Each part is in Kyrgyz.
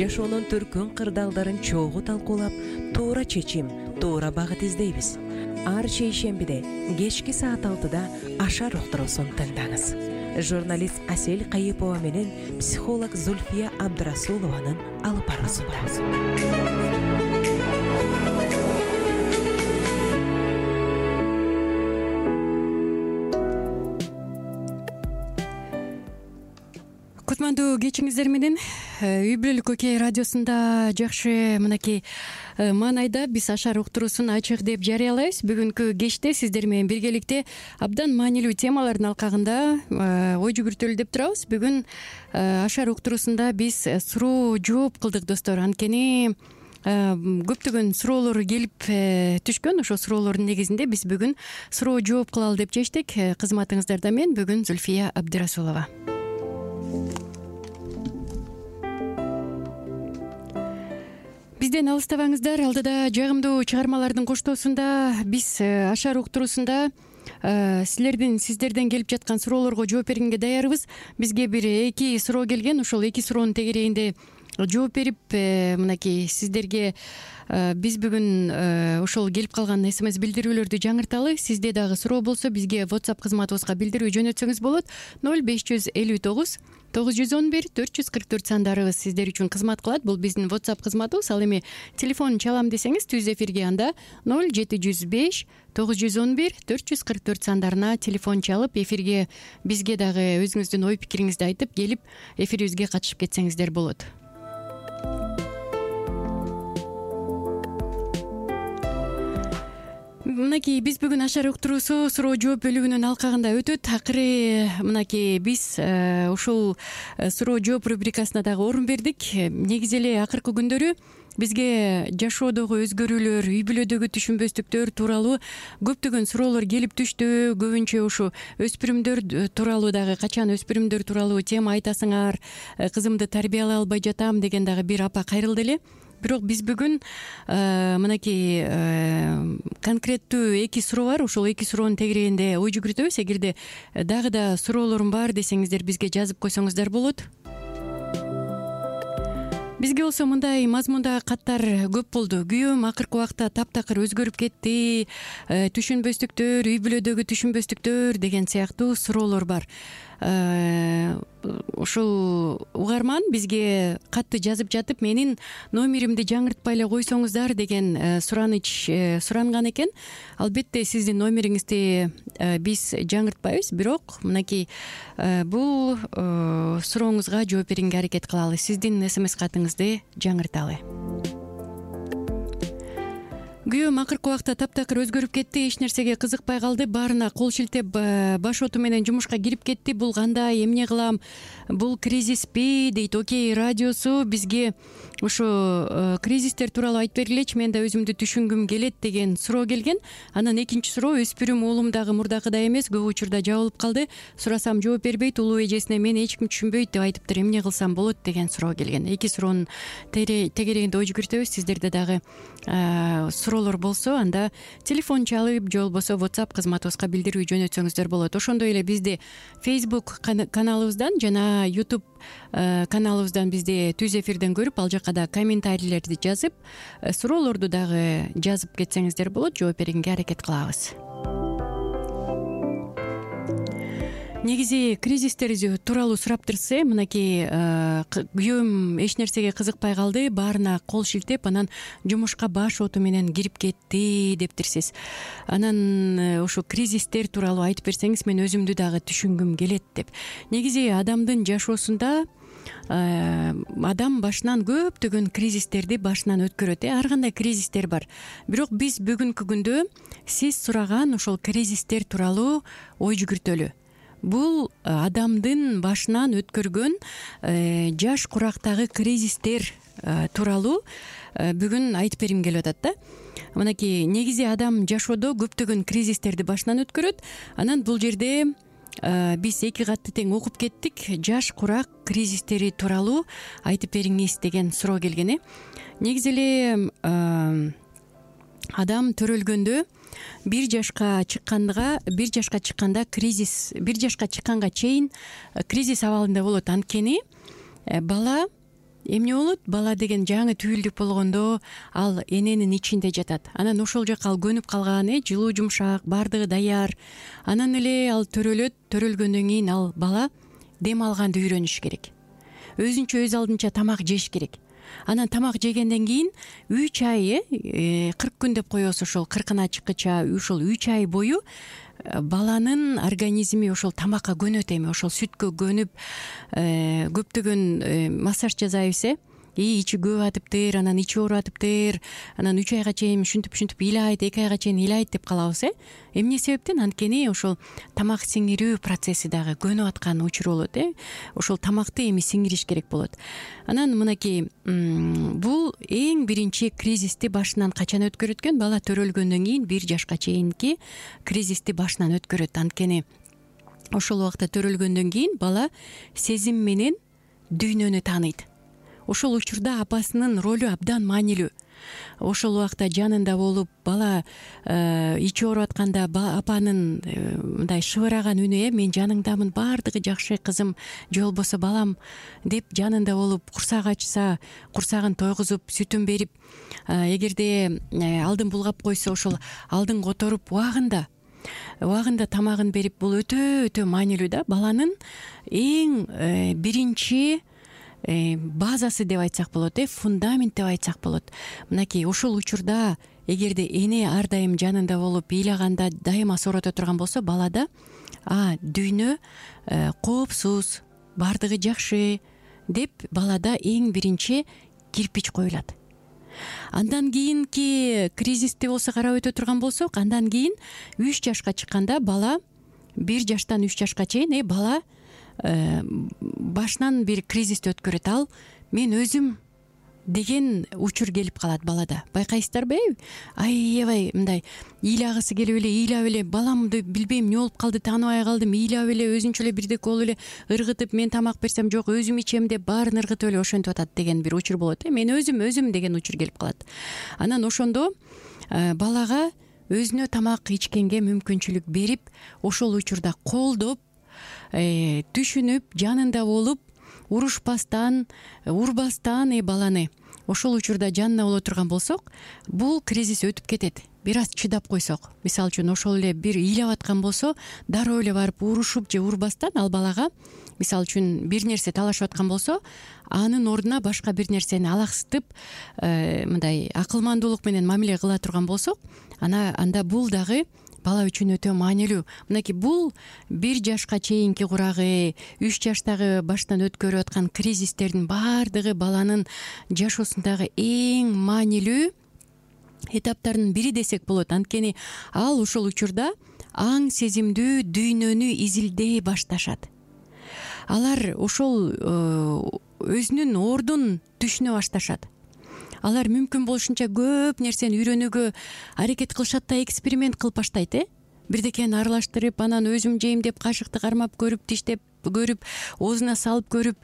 жашоонун төркүн кырдаалдарын чогуу талкуулап, туура чечим, туура багыт издейбиз. Ар шейшембиде кечки саат 6-да Ашар уктуруусун тыңдаңыз. Журналист Асель Кайыпова менен психолог Зульфия Абдрасулованын алып баруусунда. Кутмандуу кечиңиздер менен Үй бүлөлүк Окей радиосунда жакшы мынакей маанайда биз Ашар уктуруусун ачык деп жарыялайбыз. Бүгүнкү кечте сиздер менен биргеликте абдан маанилүү темалардын алкагында ой жүгүртөлү деп турабыз. Бүгүн Ашар уктуруусунда биз суроо жооп кылдык достор. Анткени көптөгөн суроолор келип түшкөн. Ошол суроолордун негизинде биз бүгүн суроо жооп кылалы деп чечтик. Кызматыңыздарда мен бүгүн Зульфия Абдрасулова. Бизден алыстабаңыздар. Алдыда жагымдуу чыгармалардын коштоосунда биз Ашар уктуруусунда сиздерден келип жаткан суроолорго жооп бергенге даярбыз. Бизге бир 2 суроо келген. Ошол 2 суроонун тегерегинде жооп берип, мынакей сиздерге биз бүгүн ошол келип калган SMS билдирүүлөрдү жаңырталы. Сизде дагы суроо болсо бизге WhatsApp кызматыбызга билдирүү жөнөтсөңүз болот. 0559 911 444 сандарыбыз сиздер үчүн кызмат кылат. Бул биздин WhatsApp кызматыбыз. Ал эми телефон чалам десеңиз түз эфирге анда 0705 911 444 сандарына телефон чалып, эфирге бизге дагы өзүңүздүн ой пикириңизди айтып, келип эфирибизге катышып кетсеңиздер болот. Мынакей биз бүгүн Ашар уктуруусу суроо жооп бөлүгүнүн алкагында өтөт. Акыры мынакей биз ушул суроо жооп рубрикасына дагы орун бердик. Негизи эле акыркы күндөрү бизге жашоодогу өзгөрүүлөр, үй бүлөдөгү түшүнбөстүктөр тууралуу көптөгөн суроолор келип түштү. Көбүнчө ушу өспүрүмдөр тууралуу дагы, качан өспүрүмдөр тууралуу тема айтасыңар, кызымды тарбиялай албай жатам деген дагы бир апа кайрылды эле. Бирок биз бүгүн мынакей конкреттүү 2 суроо бар. Ошол 2 суроонун тегерегинде ой жүгүртөбүз. Эгерде дагы да суроолорум бар десеңиздер бизге жазып койсоңуздар болот. Бизге болсо мындай мазмунда каттар көп болду. Күйөөм акыркы убакта таптакыр өзгөрүп кетти, түшүнбөстүктөр, үй бүлөдөгү түшүнбөстүктөр деген сыяктуу суроолор бар. Ушул угарман бизге катты жазып жатып, менин номеримди жаңыртпай эле койсоңуздар деген суранган экен. Албетте сиздин номериңизди биз жаңыртпайбыз, бирок мынакей бул сурооңузга жооп берүүгө аракет кылалы. Сиздин SMS катыңызды жаңырталы. Күйөөм акыркы убакта таптакыр өзгөрүп кетти, эч нерсеге кызыкпай калды, баарына кол шилтеп баш оту менен жумушка кирип кетти. Бул кандай, эмне кылам? Бул кризиспи дейт Окей радиосу. Бизге ушу кризистер тууралуу айтып бергилечи, мен да өзүмдү түшүнгүм келет деген суроо келген. Анан экинчи суроо, өспүрүм уулум дагы мурдакыдай эмес, көп учурда жабылып калды. Сурасам жооп бербейт, улуу эжесине мени эч ким түшүнбөйт деп айтыптыр. Эмне кылсам болот деген суроо келген. 2 суроонун тегерегинде ой жүгүртөбүз. Сиздерде дагы суроолор болсо, анда телефон чалып, же болбосо WhatsApp кызматыбызга билдирүү жөнөтсөңүздөр болот. Ошондой эле бизди Facebook каналыбыздан жана YouTube каналыбыздан бизди түз эфирден көрүп, ал жака да комментарийлерди жазып, суроолорду дагы жазып кетсеңиздер болот. Жооп бергенге аракет кылабыз. Негизи кризистер тууралуу сураптырсы, мынакей күйөөм эч нерсеге кызыкпай калды, баарына кол шилтеп, анан жумушка баш оту менен кирип кетти дептирсиз. Анан ушу кризистер тууралуу айтып берсеңиз, мен өзүмдү дагы түшүнгүм келет деп. Негизи адамдын жашоосунда адам башынан көптөгөн кризистерди башынан өткөрөт. Ар кандай кризистер бар. Бирок биз бүгүнкү күндө сиз сураган ошол кризистер тууралуу ой жүгүртөлү. Бул адамдын башынан өткөргөн жаш курактагы кризистер тууралуу бүгүн айтып бергим келип атат да. Мынакей негизи адам жашоодо көптөгөн кризистерди башынан өткөрөт. Анан бул жерде биз 2 катты тең окуп кеттик. Жаш курак кризистери тууралуу айтып бериңиз деген суроо келген. Негизи эле адам төрөлгөндө 1 жашка чыкканда кризис, 1 жашка чыкканга чейин кризис абалында болот. Анткени бала эмне болот? Бала деген жаңы түйүлдүк болгондо ал эненин ичинде жатат. Анан ошол жака ал көнүп калган, жылуу жумшак, баардыгы даяр. Анан эле ал төрөлөт. Төрөлгөндөн кийин ал бала дем алганды үйрөнүш керек. Өзүнчө өз алдынча тамак жеш керек. Анан тамак жегенден кийин 3 ай 40 күн деп коебуз, ошол 40-ына чыккыча ушул 3 ай бою баланын организми ошол тамакка көнөт. Эми ошол сүткө көнүп көптөгөн массаж жасайбыз, ичи көп атыптыр, анан ичи ооруп атыптыр, анан 3 айга чейин ушинтип ыйлайт, 2 айга чейин ыйлайт деп калабыз. Эмне себептен? Анткени ошол тамак сиңирүү процесси дагы көнүп аткан учур болот. Ошол тамакты эми сиңириш керек болот. Анан мынакей бул эң биринчи кризисти башынан качан өткөрөт экен? Бала төрөлгөндөн кийин 1 жашка чейинки кризисти башынан өткөрөт. Анткени ошол убакта төрөлгөндөн кийин бала сезим менен дүйнөнү тааныйт. Ошол учурда апасынын ролу абдан маанилүү. Ошол убакта жанында болуп, бала ичи ооруп атканда апанын мындай шыбыраган үнү, мен жаныңдамын, баардыгы жакшы кызым, же болбосо балам деп жанында болуп, курсак ачса курсагын тойгузуп, сүтүн берип, эгерде алдын булгап койсо ошол алдын которуп убагында тамагын берип, бул өтө маанилүү да. Баланын эң биринчи базасы деп айтсак болот, фундамент деп айтсак болот. Мынакей ошол учурда эгерде эне ар дайым жанында болуп, ыйлаганда дайыма соорото турган болсо, балада дүйнө коопсуз, баардыгы жакшы деп балада эң биринчи кирпич коюлат. Андан кийинки кризисти болсо карап өтө турган болсок, андан кийин 3 жашка чыкканда бала 1 жаштан 3 жашка чейин бала башынан бир кризисти өткөрөт. Ал мен өзүм деген учур келип калат балада. Байкайсыздарбы? Аябай мындай ыйлагысы келип эле, ыйлап эле, баламды билбейм эмне болуп калды, тааныбай калдым, ыйлап эле, өзүнчө эле бирдеке болуп эле ыргытып, мен тамак берсем жок, өзүм ичем деп баарын ыргытып эле ошентип атат деген бир учур болот. Мен өзүм деген учур келип калат. Анан ошондо балага өзүнө тамак ичкенге мүмкүнчүлүк берип, ошол учурда колдоп, түшүнүп, жанында болуп, урушпастан, урбастан баланы ошол учурда жанына боло турган болсок, бул кризис өтүп кетет. Бир аз чыдап койсок, мисалы үчүн ошол эле бир ыйлап аткан болсо, дароо эле барып урушуп же урбастан ал балага, мисалы үчүн бир нерсе талашып аткан болсо, анын ордуна башка бир нерсени алаксытып, мындай акылмандуулук менен мамиле кыла турган болсок, анда бул дагы бала үчүн өтө маанилүү. Мынакей бул 1 жашка чейинки курагы, 3 жаштагы баштан өткөрүп аткан кризистердин баардыгы баланын жашоосундагы эң маанилүү этаптардын бири десек болот. Анткени ал ошол учурда аң сезимдүү дүйнөнү изилдей башташат. Алар ошол өзүнүн ордун түшүнө башташат. Алар мүмкүн болушунча көп нерсени үйрөнүүгө аракет кылышат да, эксперимент кылып баштайт. Бирдекени аралаштырып, анан өзүм жейм деп кашыкты кармап көрүп, диштеп көрүп, оозуна салып көрүп,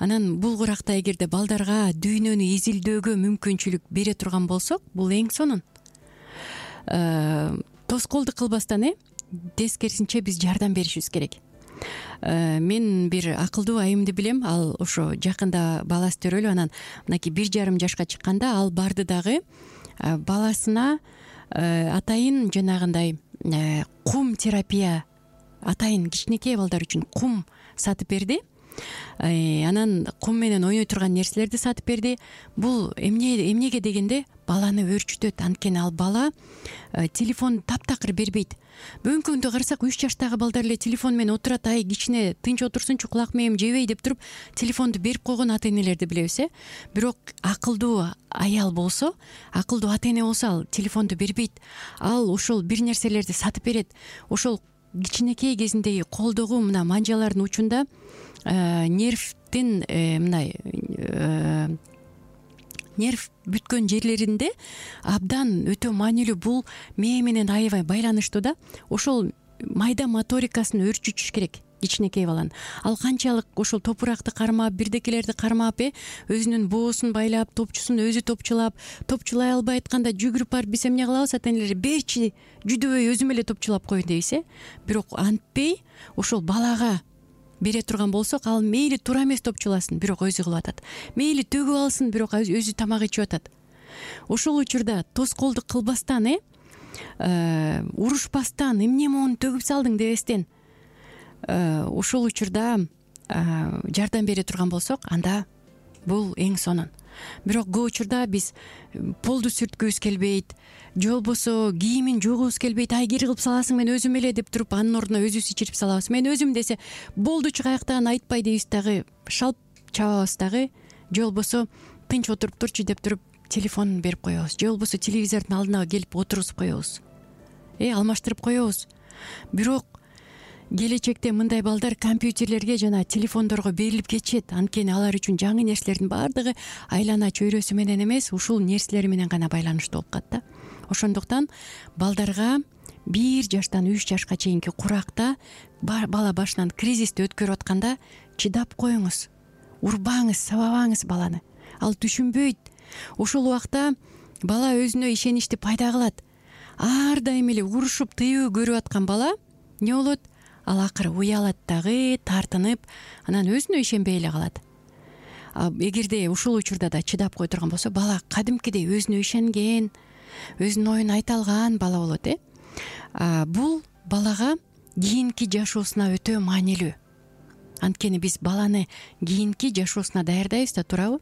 анан бул куракта эгерде балдарга дүйнөнү изилдөөгө мүмкүнчүлүк бере турган болсок, бул эң сонун. Тоскоолдук кылбастан, тескерисинче биз жардам беришибиз керек. Мен бир акылдуу айымды билем. Ал ошо жакында баласы төрөлүп, анан мынакей 1,5 жашка чыкканда ал барды дагы баласына атайын жанагындай кум терапия, атайын кичинекей балдар үчүн кум сатып берди. Анан кум менен ойной турган нерселерди сатып берди. Бул эмнеге дегенде баланы өөрчүтөт. Анткени ал бала телефон таптакыр бербейт. Бүгүнкү күндө карасак 3 жаштагы балдар эле телефон менен отурат, кичине тынч отурсунчу, кулак мээм жебей деп туруп телефонду берип койгон ата-энелерди билебиз. Бирок акылдуу аял болсо, акылдуу ата-эне болсо ал телефонду бербейт. Ал ошол бир нерселерди сатып берет. Ошол кичинекей кезиндеги колдогу мына манжалардын учунда нервдин мындай нерв бүткөн жерлеринде абдан өтө маанилүү. Бул мээ менен аябай байланыштуу да. Ошол майда моторикасын өөрчүтүш керек кичинекей баланын. Ал канчалык ошол топуракты кармап, бирдекелерди кармап, өзүнүн боосун байлап, топчусун өзү топчулай албай атканда жүгүрүп барып биз эмне кылабыз? Ата-энелер берчи, жүдөбөй өзүм эле топчулап коеюн дейбиз. Бирок антпей ошол балага бере турган болсок, ал мейли туура эмес топчуласын, бирок өзү кылып атат. Мейли төгүп алсын, бирок өзү тамак ичип атат. Ошол учурда тоскоолдук кылбастан, урушпастан, эмне моуну төгүп салдың дебестен, ошол учурда жардам бере турган болсок, анда бул эң сонун. Бирок көп учурда биз полду сүрткүбүз келбейт, же болбосо кийимин жуугубуз келбейт, ай кири кылып саласың, мен өзүм эле деп туруп, анын ордуна өзүбүз ичирип салабыз. Мен өзүм десе болдучу каяктан айтпай дейбиз дагы, шалп чабабыз дагы, же болбосо тынч отуруп турчу деп туруп телефонун берип коебуз, же болбосо телевизордун алдына келип отургузуп коебуз, алмаштырып коебуз. Бирок келечекте мындай балдар компьютерлерге жана телефондорго берилип кетишет. Анткени алар үчүн жаңы нерселердин баардыгы айлана чөйрөсү менен эмес, ушул нерселер менен гана байланыштуу болуп калат да. Ошондуктан балдарга 1 жаштан 3 жашка чейинки куракта бала башынан кризисти өткөрүп атканда чыдап коюңуз, урбаңыз, сабабаңыз баланы. Ал түшүнбөйт. Ошол убакта бала өзүнө ишеничти пайда кылат. Ар дайым эле урушуп, тыюу көрүп аткан бала эмне болот? Ал акыры уялат дагы, тартынып, анан өзүнө ишенбей эле калат. Эгерде ушул учурда да чыдап кое турган болсо, бала кадимкидей өзүнө ишенген, өзүнүн оюн айта алган бала болот. Бул балага кийинки жашоосуна өтө маанилүү. Анткени биз баланы кийинки жашоосуна даярдайбыз да, туурабы?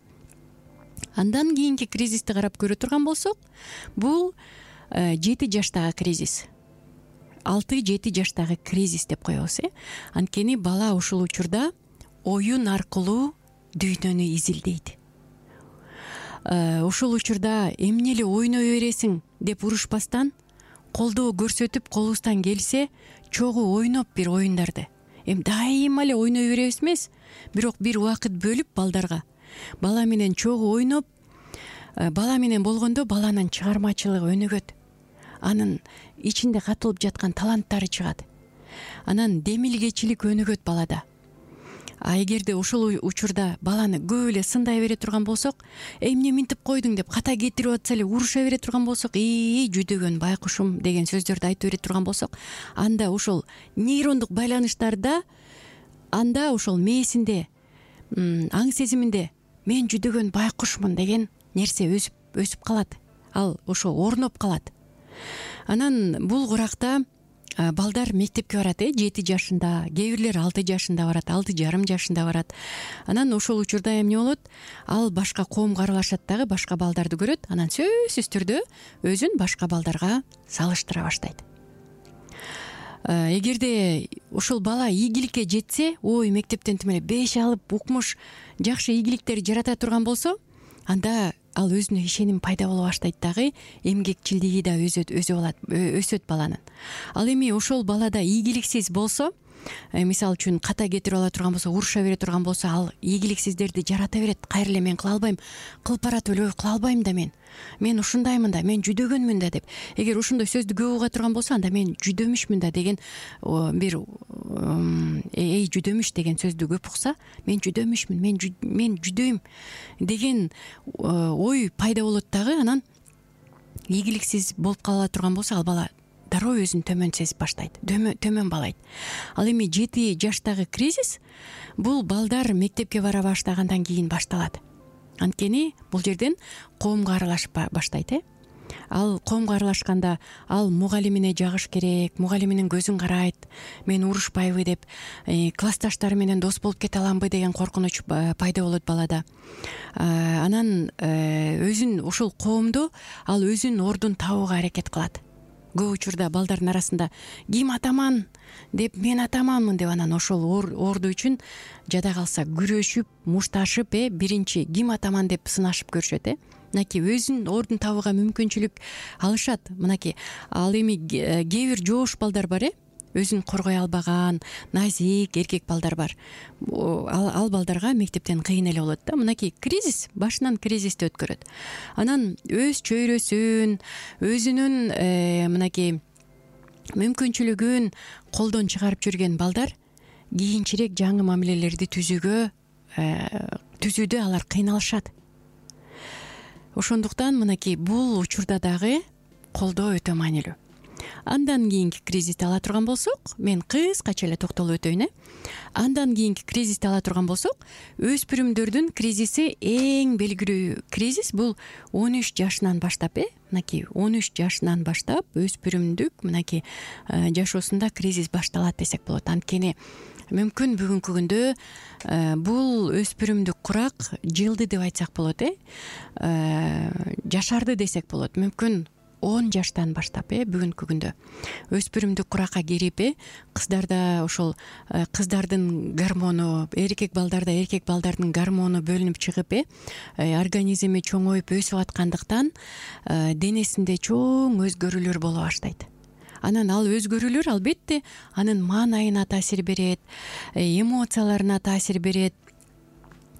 Андан кийинки кризисти карап көрө турган болсок, бул 7 жаштагы кризис. 6-7 жаштагы кризис деп коебуз. Анткени бала ушул учурда оюн аркылуу дүйнөнү изилдейт. Ушул учурда эмне эле ойной бересиң деп урушпастан, колдоо көрсөтүп, колубуздан келсе чогуу ойноп бир оюндарды. Дайыма эле ойной беребиз эмес, бирок бир убакыт бөлүп балдарга бала менен чогуу ойноп, бала менен болгондо баланын чыгармачылыгы өнүгөт. Анын ичинде катылып жаткан таланттары чыгат. Анан демилгечилик өнүгөт балада. Эгерде ошол учурда баланы көп эле сындай бере турган болсок, эмне минтип койдуң деп ката кетирип атса эле уруша бере турган болсок, жүдөгөн байкушум деген сөздөрдү айтып бере турган болсок, анда ошол нейрондук байланыштарда, анда ошол мээсинде, аң сезиминде мен жүдөгөн байкушмун деген нерсе өсүп калат. Ал ошо орноп калат. Анан бул куракта балдар мектепке барат, 7 жашында, кээ бирлер 6 жашында барат, 6,5 жашында барат. Анан ошол учурда эмне болот? Ал башка коомго аралашат дагы, башка балдарды көрөт, анан сөзсүз түрдө өзүн башка балдарга салыштыра баштайт. Эгерде ошол бала ийгиликке жетсе, мектептен тим эле 5 алып, укмуш, жакшы ийгиликтер жарата турган болсо, анда ал өзүнө ишеним пайда боло баштайт дагы, эмгекчилдиги да өсөт баланын. Ал эми ошол балада ийгиликсиз болсо, мисалы үчүн ката кетирип ала турган болсо, уруша бере турган болсо, ал ийгиликсиздерди жарата берет. Кайра эле мен кыла албайм, кылып баратып эле кыла албайм да, мен ушундаймын да, мен жүдөгөнмүн да деп. Эгер ошондой сөздү көп уга турган болсо, анда мен жүдөмүшмүн да деген бир жүдөмүш деген сөздү көп укса, мен жүдөмүшмүн, мен жүдөйм деген ой пайда болот дагы. Анан ийгиликсиз болуп кала турган болсо, ал бала дароо өзүн төмөн сезип баштайт, төмөн балайт. Ал эми 7 жаштагы кризис бул балдар мектепке бара баштагандан кийин башталат. Анткени бул жерден коомго аралашып баштайт. Ал коомго аралашканда ал мугалимине жагыш керек, мугалиминин көзүн карайт, мен урушпайбы деп, классташтары менен дос болуп кете аламбы деген коркунуч пайда болот балада. Анан өзүн ошол коомдо ал өзүнүн ордун табууга аракет кылат. Көп учурда балдардын арасында ким атаман деп, мен атаманмын деп, анан ошол орду үчүн жада калса күрөшүп, мушташып, биринчи ким атаман деп сынашып көрүшөт. Мынакей өзүнүн ордун табууга мүмкүнчүлүк алышат. Мынакей ал эми кээ бир жоош балдар бар, өзүн коргой албаган, назик эркек балдар бар. Ал балдарга мектептен кыйын эле болот да. Мынакей кризис, башынан кризисти өткөрөт. Анан өз чөйрөсүн, өзүнүн мынакей мүмкүнчүлүгүн колдон чыгарып жүрген балдар кийинчерээк жаңы мамилелерди түзүүдө алар кыйналышат. Ошондуктан мынакей бул учурда дагы колдоо өтө маанилүү. Андан кийинки кризисти ала турган болсок, мен кыскача эле токтолуп өтөйүн. Андан кийинки кризисти ала турган болсок, өспүрүмдөрдүн кризиси эң белгилүү кризис бул 13 жашынан баштап, мынакей 13 жашынан баштап өспүрүмдүк мынакей жашоосунда кризис башталат десек болот. Анткени мүмкүн бүгүнкү күндө бул өспүрүмдүк курак жылды деп айтсак болот, жашарды десек болот. Мүмкүн 10 жаштан баштап бүгүнкү күндө өспүрүмдүк куракка кирип, кыздарда ошол кыздардын гормону, эркек балдарда эркек балдардын гормону бөлүнүп чыгып, организми чоңоюп өсүп аткандыктан денесинде чоң өзгөрүүлөр боло баштайт. Анан ал өзгөрүүлөр албетте анын маанайына таасир берет, эмоцияларына таасир берет.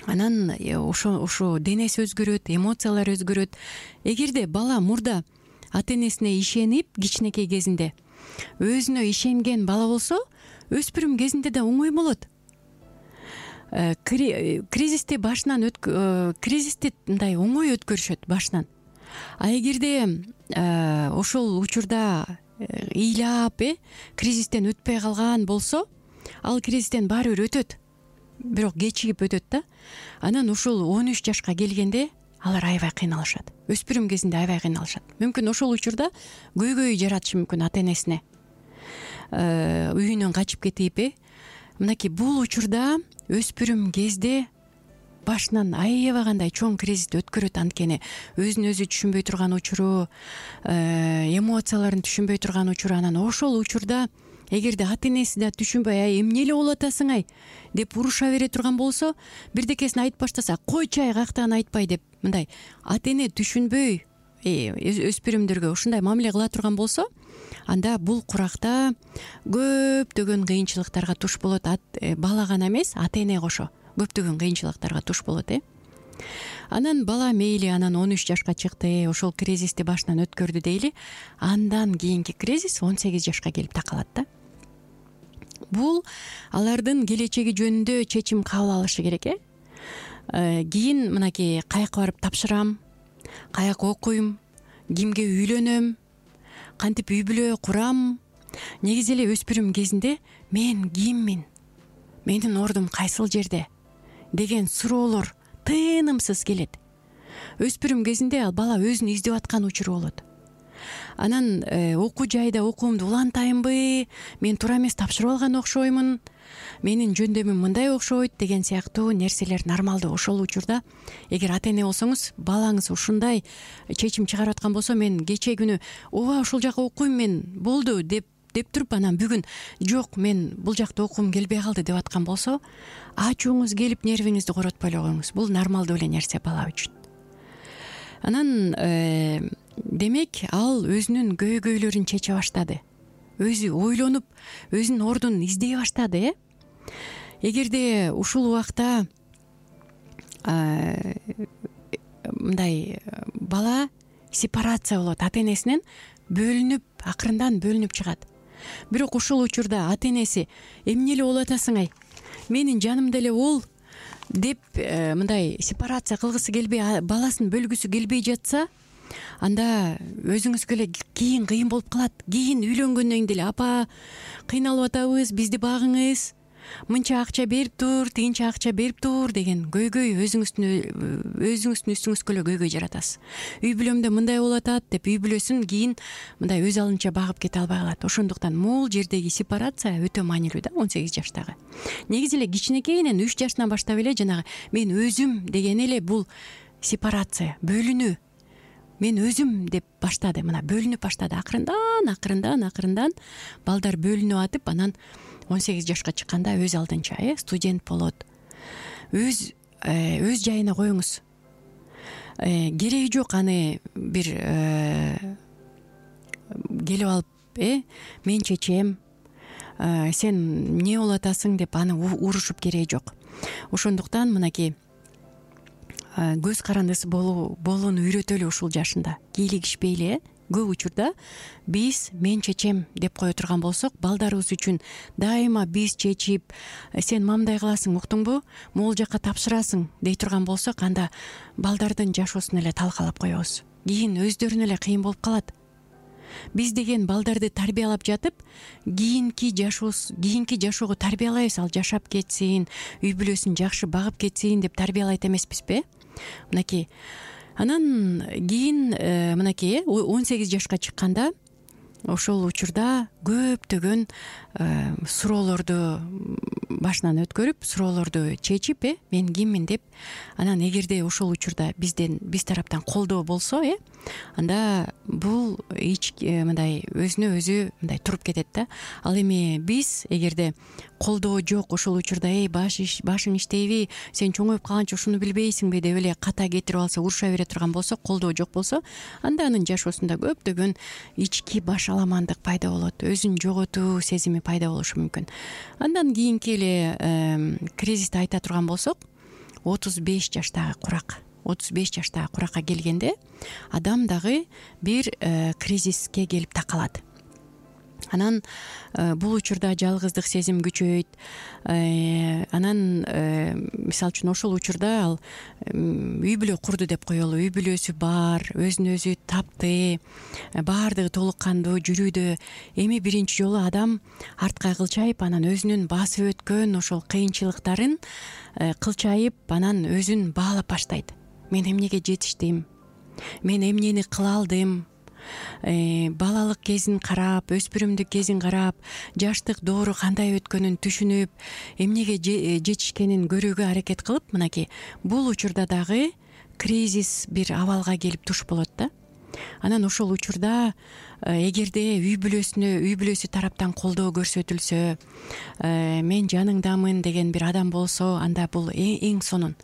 Анан ошо денеси өзгөрөт, эмоциялары өзгөрөт. Эгерде бала мурда ата энесине ишенип, кичинекей кезинде өзүнө ишенген бала болсо, өспүрүм кезинде да оңой болот. Кризисти мындай оңой өткөрүшөт башынан. А эгерде ошол учурда ыйлап, кризистен өтпөй калган болсо, ал кризистен баары бир өтөт, бирок кечигип өтөт да. Анан ошол 13 жашка келгенде алар аябай кыйналышат. Өспүрүм кезинде аябай кыйналышат. Мүмкүн ошол учурда көйгөй жаратышы мүмкүн ата энесине. Үйүнөн качып кетип, мынакей бул учурда өспүрүм кезде башынан аябай кандай чоң кризисти өткөрөт. Анткени өзүн өзү түшүнбөй турган учуру, эмоцияларын түшүнбөй турган учуру. Анан ошол учурда эгерде ата энеси да түшүнбөй, эмне эле болуп атасың деп уруша бере турган болсо, бирдекесин айтып баштаса, койчу каяктан айтпай деп, мындай ата эне түшүнбөй өспүрүмдөргө ушундай мамиле кыла турган болсо, анда бул куракта көптөгөн кыйынчылыктарга туш болот. Бала гана эмес, ата эне кошо көптөгөн кыйынчылыктарга туш болот. Анан бала мейли анан 13 жашка чыкты, ошол кризисти башынан өткөрдү дейли. Андан кийинки кризис 18 жашка келип такалат да. Бул алардын келечеги жөнүндө чечим кабыл алышы керек. Кийин мынакей каяка барып тапшырам, каяка окуйм, кимге үйлөнөм, кантип үй бүлө курам. Негизи эле өспүрүм кезинде мен киммин, менин ордум кайсыл жерде деген суроолор тынымсыз келет. Өспүрүм кезинде ал бала өзүн издеп аткан учуру болот. Анан окуу жайда окуумду улантайынбы, мен туура эмес тапшырып алган окшоймун, менин жөндөмүм мындай окшойт деген сыяктуу нерселер нормалдуу. Ошол учурда эгер ата эне болсоңуз, балаңыз ушундай чечим чыгарып аткан болсо, мен кечээ күнү ооба ушул жака окуйм мен, болду деп туруп, анан бүгүн жок, мен бул жакта окугум келбей калды деп аткан болсо, ачууңуз келип нервиңизди коротпой эле коюңуз. Бул нормалдуу эле нерсе бала үчүн. Анан демек ал өзүнүн көйгөйлөрүн чече баштады. Өзү ойлонуп, өзүнүн ордун издей баштады. Эгерде ушул убакта мындай бала сепарация болот, ата энесинен бөлүнүп, акырындан бөлүнүп чыгат. Бирок ушул учурда ата энеси эмне эле болуп атасың менин жанымда эле бол деп мындай сепарация кылгысы келбей, баласын бөлгүсү келбей жатса, анда өзүңүзгө эле кийин кыйын болуп калат. Кийин үйлөнгөндөн деле апа кыйналып атабыз, бизди багыңыз, мынча акча берип тур, тигинче акча берип тур деген көйгөй өзүңүздүн үстүңүзгө эле көйгөй жаратасыз. Үй бүлөмдө мындай болуп атат деп үй бүлөсүн кийин мындай өз алынча багып кете албай калат. Ошондуктан могул жердеги сепарация өтө маанилүү да 18 жаштагы. Негизи эле кичинекейинен 3 жаштан баштап эле жанагы мен өзүм деген эле бул сепарация, бөлүнүү. Мен өзүм деп баштады, мына бөлүнүп баштады. Акырындан балдар бөлүнүп атып, анан 18 жашка чыкканда өз алдынча студент болот. Өз жайына коюңуз. Кереги жок аны бир келип алып, мен чечем, сен эмне болуп атасың деп аны урушуп кереги жок. Ошондуктан мынакей көз карандысы болууну үйрөтөлү ушул жашында. Кийлигишпейли. Көп учурда биз мен чечем деп кое турган болсок, балдарыбыз үчүн дайыма биз чечип, сен мамдай кыласың, уктуңбу, могул жакка тапшырасың дей турган болсок, анда балдардын жашоосун эле талкалап коебуз. Кийин өздөрүнө эле кыйын болуп калат. Биз деген балдарды тарбиялап жатып, кийинки жашоого тарбиялайбыз, ал жашап кетсин, үй бүлөсүн жакшы багып кетсин деп тарбиялайт эмеспизби? Мынакей. Анан кийин мынакей 18 жашка чыкканда ошол учурда көптөгөн суроолорду башынан өткөрүп, суроолорду чечип, мен киммин деп, анан эгерде ошол учурда биз тараптан колдоо болсо, анда бул мындай өзүнө өзү мындай туруп кетет да. Ал эми биз эгерде колдоо жок, ошол учурда башың иштейби, сен чоңоюп калганча ушуну билбейсиңби деп эле ката кетирип алса, уруша бере турган болсо, колдоо жок болсо, анда анын жашоосунда көптөгөн ички башаламандык пайда болот, өзүн жоготуу сезими пайда болушу мүмкүн. Андан кийинки эле кризисти айта турган болсок, 35 жаштагы куракка келгенде адам дагы бир кризиске келип такалат. Анан бул учурда жалгыздык сезим күчөйт. Анан мисалы үчүн ошол учурда ал үй бүлө курду деп коелу. Үй бүлөсү бар, өзүн өзү тапты, баардыгы толук кандуу жүрүүдө. Эми биринчи жолу адам артка кылчайып, анан өзүнүн басып өткөн ошол кыйынчылыктарын кылчайып, анан өзүн баалап баштайт. Мен эмнеге жетиштим? Мен эмнени кыла алдым? Балалык кезин карап, өспүрүмдүк кезин карап, жаштык доору кандай өткөнүн түшүнүп, эмнеге жетишкенин көрүүгө аракет кылып, мынакей бул учурда дагы кризис бир абалга келип туш болот да. Анан ошол учурда эгерде үй бүлөсү тараптан колдоо көрсөтүлсө, мен жаныңдамын деген бир адам болсо, анда бул эң сонун.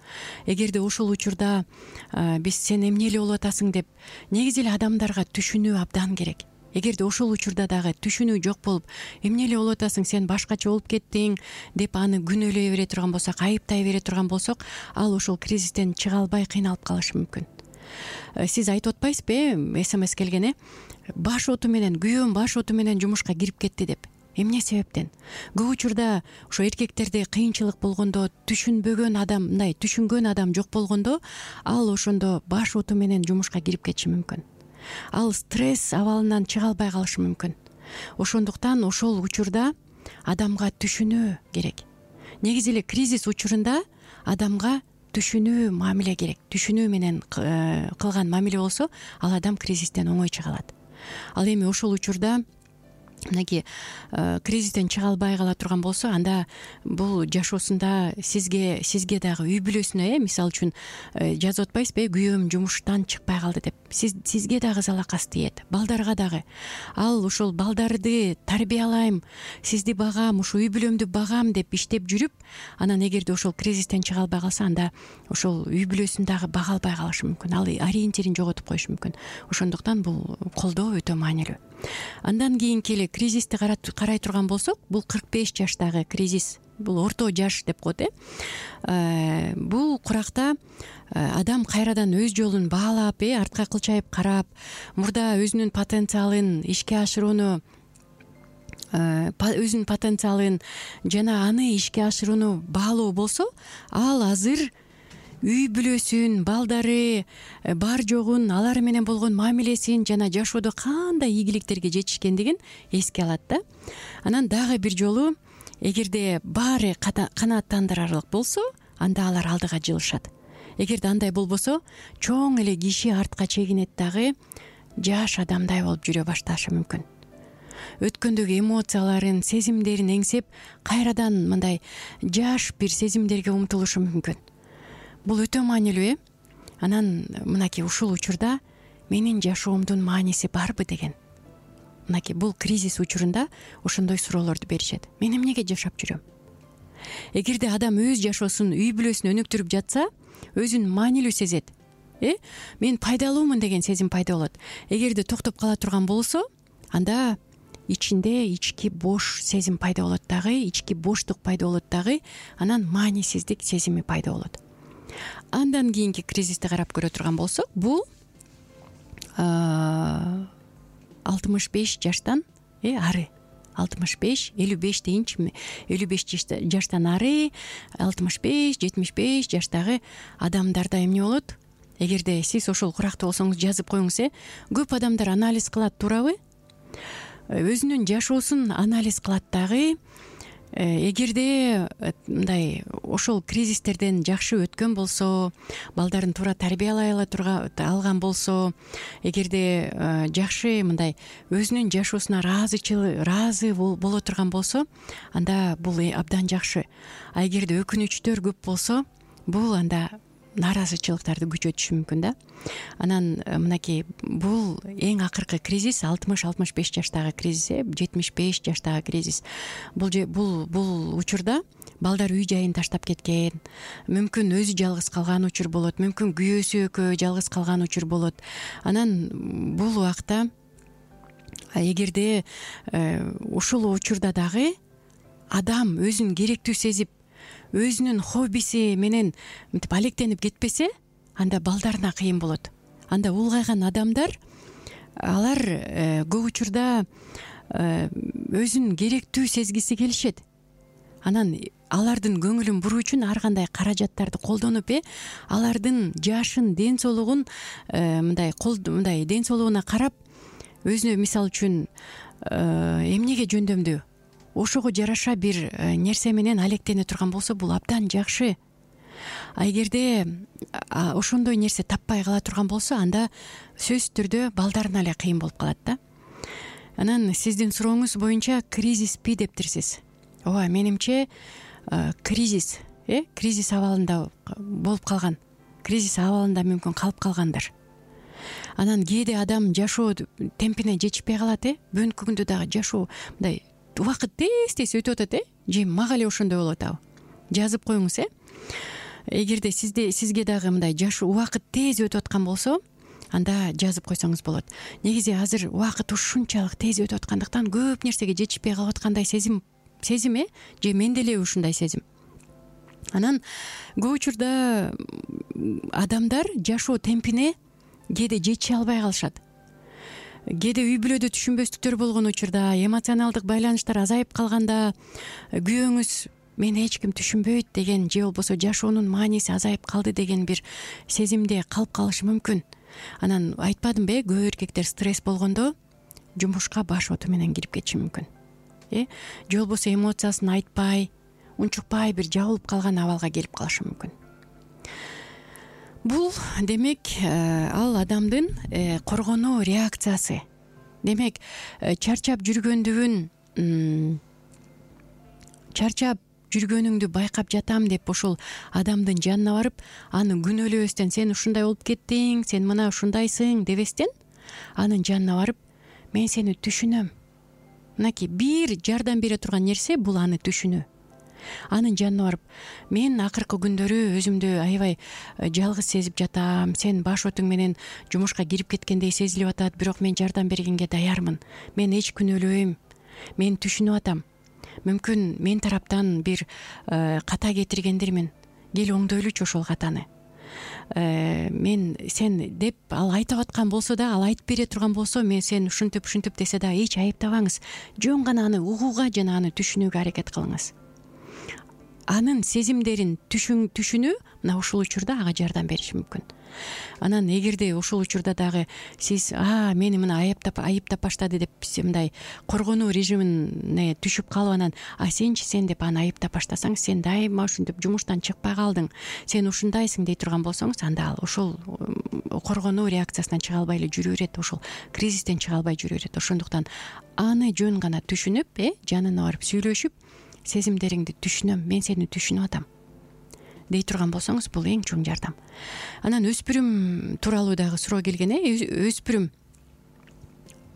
Эгерде ошол учурда биз сен эмне эле болуп атасың деп, негизи эле адамдарга түшүнүү абдан керек. Эгерде ошол учурда дагы түшүнүү жок болуп, эмне эле болуп атасың, сен башкача болуп кеттиң деп аны күнөөлөй бере турган болсок, айыптай бере турган болсок, ал ошол кризистен чыга албай кыйналып калышы мүмкүн. Сиз айтып атпайсызбы, СМС келген, күйөөм баш оту менен жумушка кирип кетти деп. Эмне себептен? Көп учурда ошо эркектерде кыйынчылык болгондо, түшүнгөн адам жок болгондо, ал ошондо баш оту менен жумушка кирип кетиши мүмкүн. Ал стресс абалынан чыга албай калышы мүмкүн. Ошондуктан ошол учурда адамга түшүнүү керек. Негизи эле кризис учурунда адамга түшүнүү мамиле керек. Түшүнүү менен кылган мамиле болсо, ал адам кризистен оңой чыга алат. Ал эми ошол учурда мынакей кризистен чыга албай кала турган болсо, анда бул жашоосунда сизге дагы үй бүлөсүнө, мисалы үчүн жазып атпайсызбы, күйөөм жумуштан чыкпай калды деп. Сизге дагы залакасы тиет, балдарга дагы. Ал ошол балдарды тарбиялайм, сизди багам, ушу үй бүлөмдү багам деп иштеп жүрүп, анан эгерде ошол кризистен чыга албай калса, анда ошол үй бүлөсүн дагы бага албай калышы мүмкүн. Ал ориентирин жоготуп коюшу мүмкүн. Ошондуктан бул колдоо өтө маанилүү. Андан кийинки эле кризисти карай турган болсок, бул 45 жаштагы кризис, бул орто жаш деп коет. Бул куракта адам кайрадан өз жолун баалап, артка кылчайып карап, мурда өзүнүн потенциалын ишке ашырууну, жана аны ишке ашырууну баалоо болсо, ал азыр үй бүлөсүн, балдары бар жогун, алар менен болгон мамилесин жана жашоодо кандай ийгиликтерге жетишкендигин эске алат да. Анан дагы бир жолу, эгерде баары канааттандырарлык болсо, анда алар алдыга жылышат. Эгерде андай болбосо, чоң эле киши артка чегинет дагы жаш адамдай болуп жүрө башташы мүмкүн. Өткөндөгү эмоцияларын, сезимдерин эңсеп, кайрадан мындай жаш бир сезимдерге умтулушу мүмкүн. Бул өтө маанилүү. Анан мынакей ушул учурда менин жашоомдун мааниси барбы деген. Мынакей бул кризис учурунда ошондой суроолорду беришет. Мен эмнеге жашап жүрөм? Эгерде адам өз жашоосун, үй бүлөсүн өнүктүрүп жатса, өзүн маанилүү сезет. Мен пайдалуумун деген сезим пайда болот. Эгерде токтоп кала турган болсо, анда ичинде ички бош сезим пайда болот дагы, ички боштук пайда болот дагы, анан маанисиздик сезими пайда болот. Андан кийинки кризисти карап көрө турган болсок, бул 65 жаштан ары. 65, 55 дейинчи, 55 жаштан ары, 65, 75 жаштагы адамдарда эмне болот? Эгерде сиз ошол куракта болсоңуз, жазып коюңуз. Көп адамдар анализ кылат, туурабы? өзүнүн жашоосун анализ кылат дагы. Эгерде мындай ошол кризистерден жакшы өткөн болсо, балдарын туура тарбиялай алган болсо, эгерде жакшы мындай өзүнүн жашоосуна ыраазы боло турган болсо, анда бул абдан жакшы. А эгерде өкүнүчтөр көп болсо, бул анда нааразычылыктарды күчөтүшү мүмкүн да. Анан мынакей бул эң акыркы кризис 60-65 жаштагы кризис, 75 жаштагы кризис. Бул учурда балдар үй жайын таштап кеткен, мүмкүн өзү жалгыз калган учур болот, мүмкүн күйөөсү экөө жалгыз калган учур болот. Анан бул убакта эгерде ушул учурда дагы адам өзүн керектүү сезип, өзүнүн хоббиси менен мынтип алектенип кетпесе, анда балдарына кыйын болот. Анда улгайган адамдар, алар көп учурда өзүн керектүү сезгиси келишет. Анан алардын көңүлүн буруу үчүн ар кандай каражаттарды колдонуп, алардын жашын, ден соолугун мындай ден соолугуна карап, өзүнө мисал үчүн эмнеге жөндөмдүү, ошого жараша бир нерсе менен алектене турган болсо, бул абдан жакшы. А эгерде ошондой нерсе таппай кала турган болсо, анда сөзсүз түрдө балдарына эле кыйын болуп калат да. Анан сиздин сурооңуз боюнча кризиспи дептирсиз. Ооба, менимче кризис абалында болуп калган. Кризис абалында мүмкүн калып калгандар. Анан кээде адам жашоо темпине жетишпей калат, бүгүнкү күндө дагы жашоо мындай убакыт тез өтүп атат, же мага эле ошондой болуп атабы? Жазып коюңуз, Эгерде сизге дагы мындай жашоо убакыт тез өтүп аткан болсо, анда жазып койсоңуз болот. Негизи азыр убакыт ушунчалык тез өтүп аткандыктан көп нерсеге жетишпей калып аткандай сезим, же менде эле ушундай сезим. Анан көп учурда адамдар жашоо темпине кээде жетише албай калышат. Кээде үй бүлөдө түшүнбөстүктөр болгон учурда, эмоционалдык байланыштар азайып калганда, күйөөңүз мени эч ким түшүнбөйт деген, же болбосо жашоонун мааниси азайып калды деген бир сезимде калып калышы мүмкүн. Анан айтпадымбы, көп эркектер стресс болгондо жумушка баш оту менен кирип кетиши мүмкүн. Же болбосо эмоциясын айтпай, унчукпай бир жабылып калган абалга келип калышы мүмкүн. Бул демек ал адамдын коргонуу реакциясы. Демек чарчап жүргөнүңдү байкап жатам деп ошол адамдын жанына барып, аны күнөөлөбөстөн, сен ушундай болуп кеттиң, сен мына ушундайсың дебестен, анын жанына барып, мен сени түшүнөм. Мынакей бир жардам бере турган нерсе бул аны түшүнүү. Анын жанына барып, мен акыркы күндөрү өзүмдү аябай жалгыз сезип жатам, сен баш отуң менен жумушка кирип кеткендей сезилип атат, бирок мен жардам бергенге даярмын. Мен эч күнөөлөбөйм. Мен түшүнүп атам. Мүмкүн мен тараптан бир ката кетиргендирмин. Кел оңдойлучу ошол катаны. Сен деп ал айтып аткан болсо да, ал айтып бере турган болсо, мен сен ушинтип десе да эч айыптабаңыз. Жөн гана аны угууга жана аны түшүнүүгө аракет кылыңыз. Анын сезимдерин түшүнүү мына ушул учурда ага жардам бериши мүмкүн. Анан эгерде ушул учурда дагы сиз мени мына айыптап баштады деп мындай коргонуу режимине түшүп калып, анан сен деп аны айыптап баштасаң, сен дайыма ушинтип жумуштан чыкпай калдың, сен ушундайсың дей турган болсоңуз, анда ал ошол коргонуу реакциясынан чыга албай эле жүрө берет, ошол кризистен чыга албай жүрө берет. Ошондуктан аны жөн гана түшүнүп, жанына барып сүйлөшүп, сезимдериңди түшүнөм, мен сени түшүнүп атам дей турган болсоңуз, бул эң чоң жардам. Анан өспүрүм тууралуу дагы суроо келген. Өспүрүм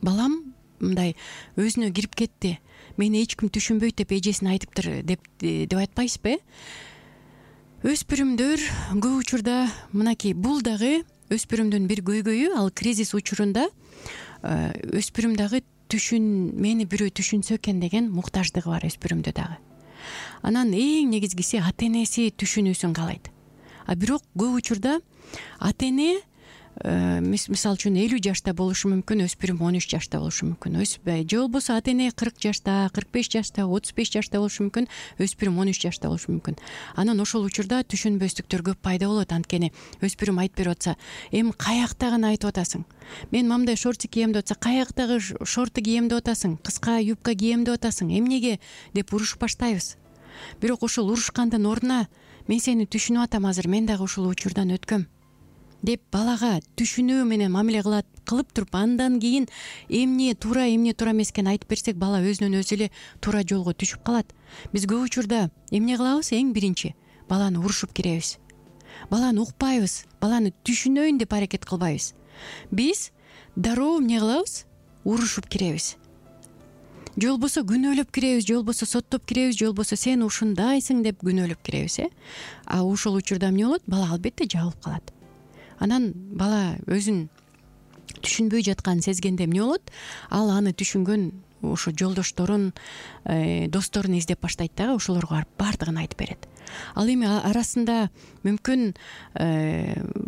балам мындай өзүнө кирип кетти, мени эч ким түшүнбөйт деп эжесине айтыптыр деп айтпайсызбы? Өспүрүмдөр көп учурда мынакей бул дагы өспүрүмдүн бир көйгөйү. Ал кризис учурунда өспүрүм дагы мени бирөө түшүнсө экен деген муктаждыгы бар өспүрүмдө дагы. Анан эң негизгиси ата энеси түшүнүүсүн каалайт. Бирок көп учурда ата эне мисалы үчүн 50 жашта болушу мүмкүн, өспүрүм 13 жашта болушу мүмкүн, же болбосо ата эне 40 жашта, 45 жашта, 35 жашта болушу мүмкүн, өспүрүм 13 жашта болушу мүмкүн. Анан ошол учурда түшүнбөстүктөр көп пайда болот. Анткени өспүрүм айтып берип атса, эми каяктагыны айтып атасың, мен мамдай шортик кийем деп атса, каяктагы шорты кийем деп атасың, кыска юбка кийем деп атасың, эмнеге деп урушуп баштайбыз. Бирок ошол урушкандын ордуна мен сени түшүнүп атам, азыр мен дагы ушул учурдан өткөм деп балага түшүнүү менен мамиле кылып туруп, андан кийин эмне туура эмес экенин айтып берсек, бала өзүнөн өзү эле туура жолго түшүп калат. Биз көп учурда эмне кылабыз? Эң биринчи баланы урушуп киребиз, баланы укпайбыз, баланы түшүнөйүн деп аракет кылбайбыз. Биз дароо эмне кылабыз? Урушуп киребиз, же болбосо күнөөлөп киребиз, же болбосо соттоп киребиз, же болбосо сен ушундайсың деп күнөөлөп киребиз. А ошол учурда эмне болот? Бала албетте жабылып калат. Анан бала өзүн түшүнбөй жатканын сезгенде эмне болот? Ал аны түшүнгөн ошо жолдошторун, досторун издеп баштайт дагы, ошолорго барып баардыгын айтып берет. Ал эми арасында мүмкүн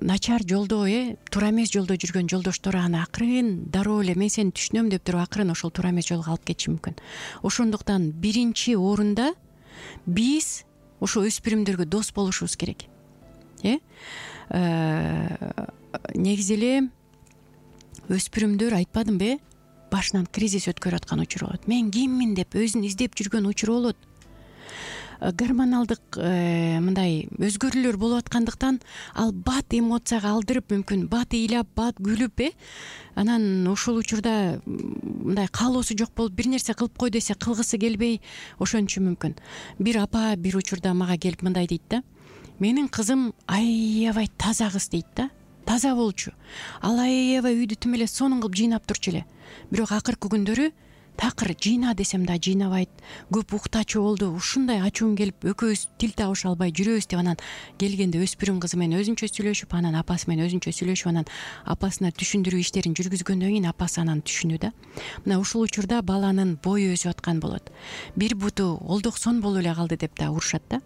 начар жолдо, туура эмес жолдо жүргөн жолдоштору аны акырын дароо эле мен сени түшүнөм деп туруп акырын ошол туура эмес жолго алып кетиши мүмкүн. Ошондуктан биринчи орунда биз ошо өспүрүмдөргө дос болушубуз керек. Негизи эле өспүрүмдөр, айтпадымбы, башынан кризис өткөрүп аткан учуру болот. Мен киммин деп өзүн издеп жүргөн учуру болот. Гормоналдык мындай өзгөрүүлөр болуп аткандыктан ал бат эмоцияга алдырып, мүмкүн бат ыйлап, бат күлүп, анан ошол учурда мындай каалоосу жок болуп, бир нерсе кылып кой десе кылгысы келбей ошончу мүмкүн. Бир апа бир учурда мага келип мындай дейт да: менин кызым аябай таза кыз дейт да, таза болчу. Ал аябай үйдү тим эле сонун кылып жыйнап турчу эле. Бирок акыркы күндөрү такыр жыйна десем да жыйнабайт, көп уктачу болду, ушундай ачуум келип экөөбүз тил табыша албай жүрөбүз деп. Анан келгенде өспүрүм кызы менен өзүнчө сүйлөшүп, анан апасы менен өзүнчө сүйлөшүп, анан апасына түшүндүрүү иштерин жүргүзгөндөн кийин апасы анан түшүнүү да. Мына ушул учурда баланын бою өсүп аткан болот. Бир буту олдоксон болуп эле калды деп да урушат да.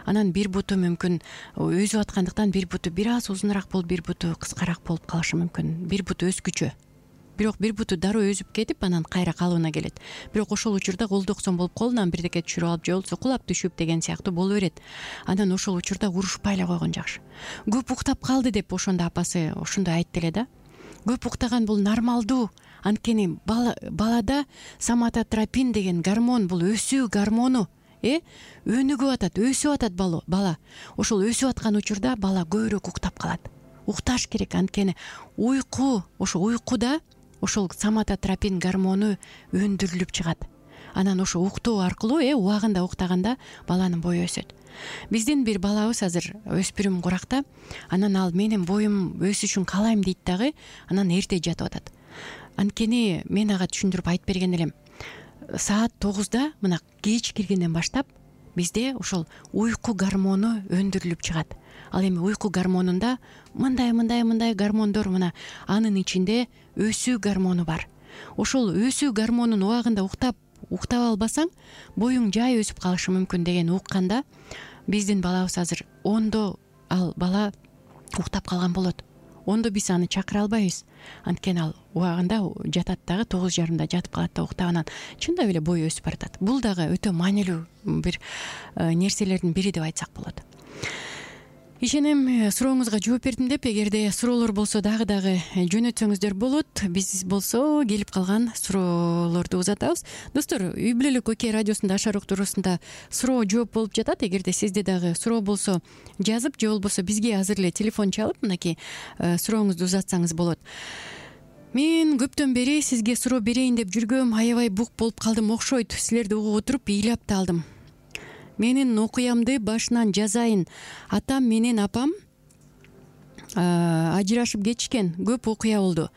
Анан бир буту мүмкүн өсүп аткандыктан бир буту бир аз узунараак болуп, бир буту кыскараак болуп калышы мүмкүн. Бир буту өскүчө. Бирок бир буту дароо өзүп кетип, анан кайра калыбына келет. Бирок ошол учурда колдоксон болуп, колунан бирдеке түшүрүп алып, же болбосо кулап түшүп деген сыяктуу боло берет. Анан ошол учурда урушпай эле койгон жакшы. Көп уктап калды деп ошондо апасы ошондой айтты эле да. Көп уктаган бул нормалдуу. Анткени балада соматотропин деген гормон, бул өсүү гормону, өнүгүп атат, өсүп атат бала. Ошол өсүп аткан учурда бала көбүрөөк уктап калат. Укташ керек, анткени уйку, ошо уйкуда ошол соматотропин гормону өндүрүлүп чыгат. Анан ошо уктоо аркылуу, убагында уктаганда баланын бою өсөт. Биздин бир балабыз азыр өспүрүм куракта, анан ал менин боюм өсүшүн каалайм дейт дагы, анан эрте жатып атат. Анткени мен ага түшүндүрүп айтып берген элем. Саат 9-да, мына кеч киргенден баштап бизде ошол уйку гормону өндүрүлүп чыгат. Ал эми уйку гормонунда мындай гормондор, мына анын ичинде өсүү гормону бар. Ошол өсүү гормонун убагында уктап албасаң, боюң жай өсүп калышы мүмкүн деген укканда, биздин балабыз азыр 10-до ал бала уктап калган болот. 10-до биз аны чакыра албайбыз. Анткени ал убагында жатат дагы, 9:30 жатып калат да уктап, анан чындап эле бою өсүп баратат. Бул дагы өтө маанилүү бир нерселердин бири деп айтсак болот. Ишенем сурооңузга жооп бердим деп. Эгерде суроолор болсо дагы жөнөтсөңүздөр болот. Биз болсо келип калган суроолорду узатабыз. Достор, үй бүлөлүк ОК радиосунда Ашар уктуруусунда суроо жооп болуп жатат. Эгерде сизде дагы суроо болсо жазып, же болбосо бизге азыр эле телефон чалып, мынакей сурооңузду узатсаңыз болот. Мен көптөн бери сизге суроо берейин деп жүргөм, аябай бук болуп калдым окшойт. Силерди угуп отуруп ыйлап да алдым. Менин окуямды башынан жазайын. Атам менен апам ажырашып кетишкен. Көп окуя болду.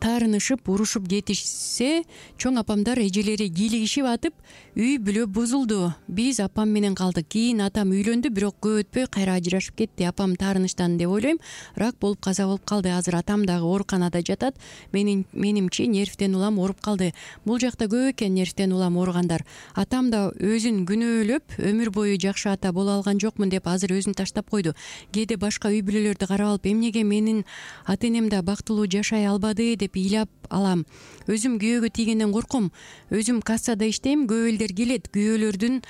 Таарынышып, урушуп кетишсе, чоң апамдар эжелери кийлигишип атып, үй бүлө бузулду. Биз апам менен калдык. Кийин атам үйлөндү, бирок көп өтпөй кайра ажырашып кетти. Апам таарынычтан деп ойлойм. Рак болуп каза болуп калды. Азыр атам дагы ооруканада жатат. Менимче нервтен улам ооруп калды. Бул жакта көп экен нервтен улам ооругандар. Атам да өзүн күнөөлөп, өмүр бою жакшы ата боло алган жокмун деп азыр өзүн таштап койду. Кээде башка үй бүлөлөрдү карап алып, эмнеге менин ата энем да бактылуу жашай албады деп ыйлап алам. Өзүм күйөөгө тийгенден корком. Өзүм кассада иштейм, көп элдер келет. Күйөөлөрдүн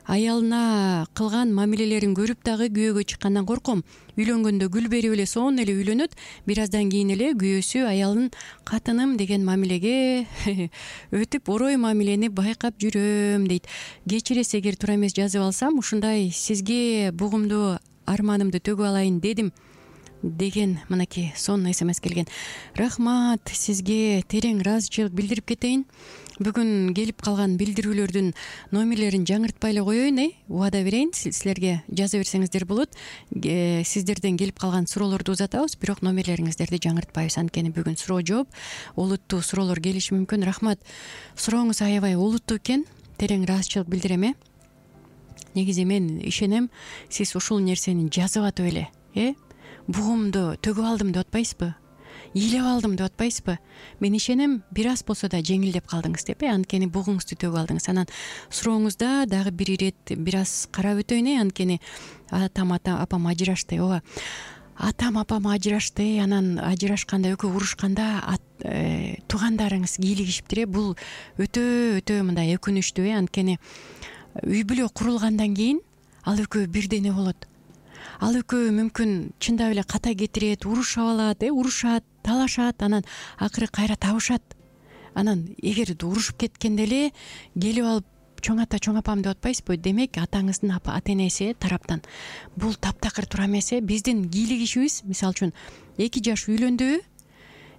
аялына кылган мамилелерин көрүп дагы күйөөгө чыккандан корком. Үйлөнгөндө гүл берип эле сонун эле үйлөнөт. Бир аздан кийин эле күйөөсү аялын катыным деген мамилеге өтүп, орой мамилени байкап жүрөм дейт. Кечиресиз, эгер туура эмес жазып алсам, ушундай сизге бугумду арманымды төгүп алайын дедим деген мынакей сонун смс келген. Рахмат, сизге терең ыраазычылык билдирип кетейин. Бүгүн келип калган билдирүүлөрдүн номерлерин жаңыртпай эле коеюн, убада берейин. Силерге жаза берсеңиздер болот. Сиздерден келип калган суроолорду узатабыз, бирок номерлериңиздерди жаңыртпайбыз. Анткени бүгүн суроо жооп, олуттуу суроолор келиши мүмкүн. Рахмат. Сурооңуз аябай олуттуу экен. Терең ыраазычылык билдирем. Негизи мен ишенем, сиз ушул нерсени жазып атып эле, бугумду төгүп алдым деп атпайсызбы? Ыйлап алдым деп атпайсызбы? Мен ишенем, бир аз болсо да жеңилдеп калдыңыз деп, анткени бугуңузду төгүп алдыңыз. Анан сурооңузда дагы бир ирет бир аз карап өтөйүн, анткени апам ажырашты. Ооба. Атам апам ажырашты, анан ажырашканда экөө урушканда туугандарыңыз кийлигишиптир. Бул өтө мындай өкүнүчтүү, анткени үй бүлө курулгандан кийин ал экөө бирдене болот. Ал экөө мүмкүн чындап эле ката кетирет, урушуп алат, урушат, талашат, анан акыры кайра табышат. Анан эгер урушуп кеткенде эле келип алып чоң ата, чоң апам деп атпайсызбы? Демек атаңыздын ата энеси тараптан бул таптакыр туура эмес. Биздин кийлигишибиз, мисалы үчүн 2 жаш үйлөндүбү,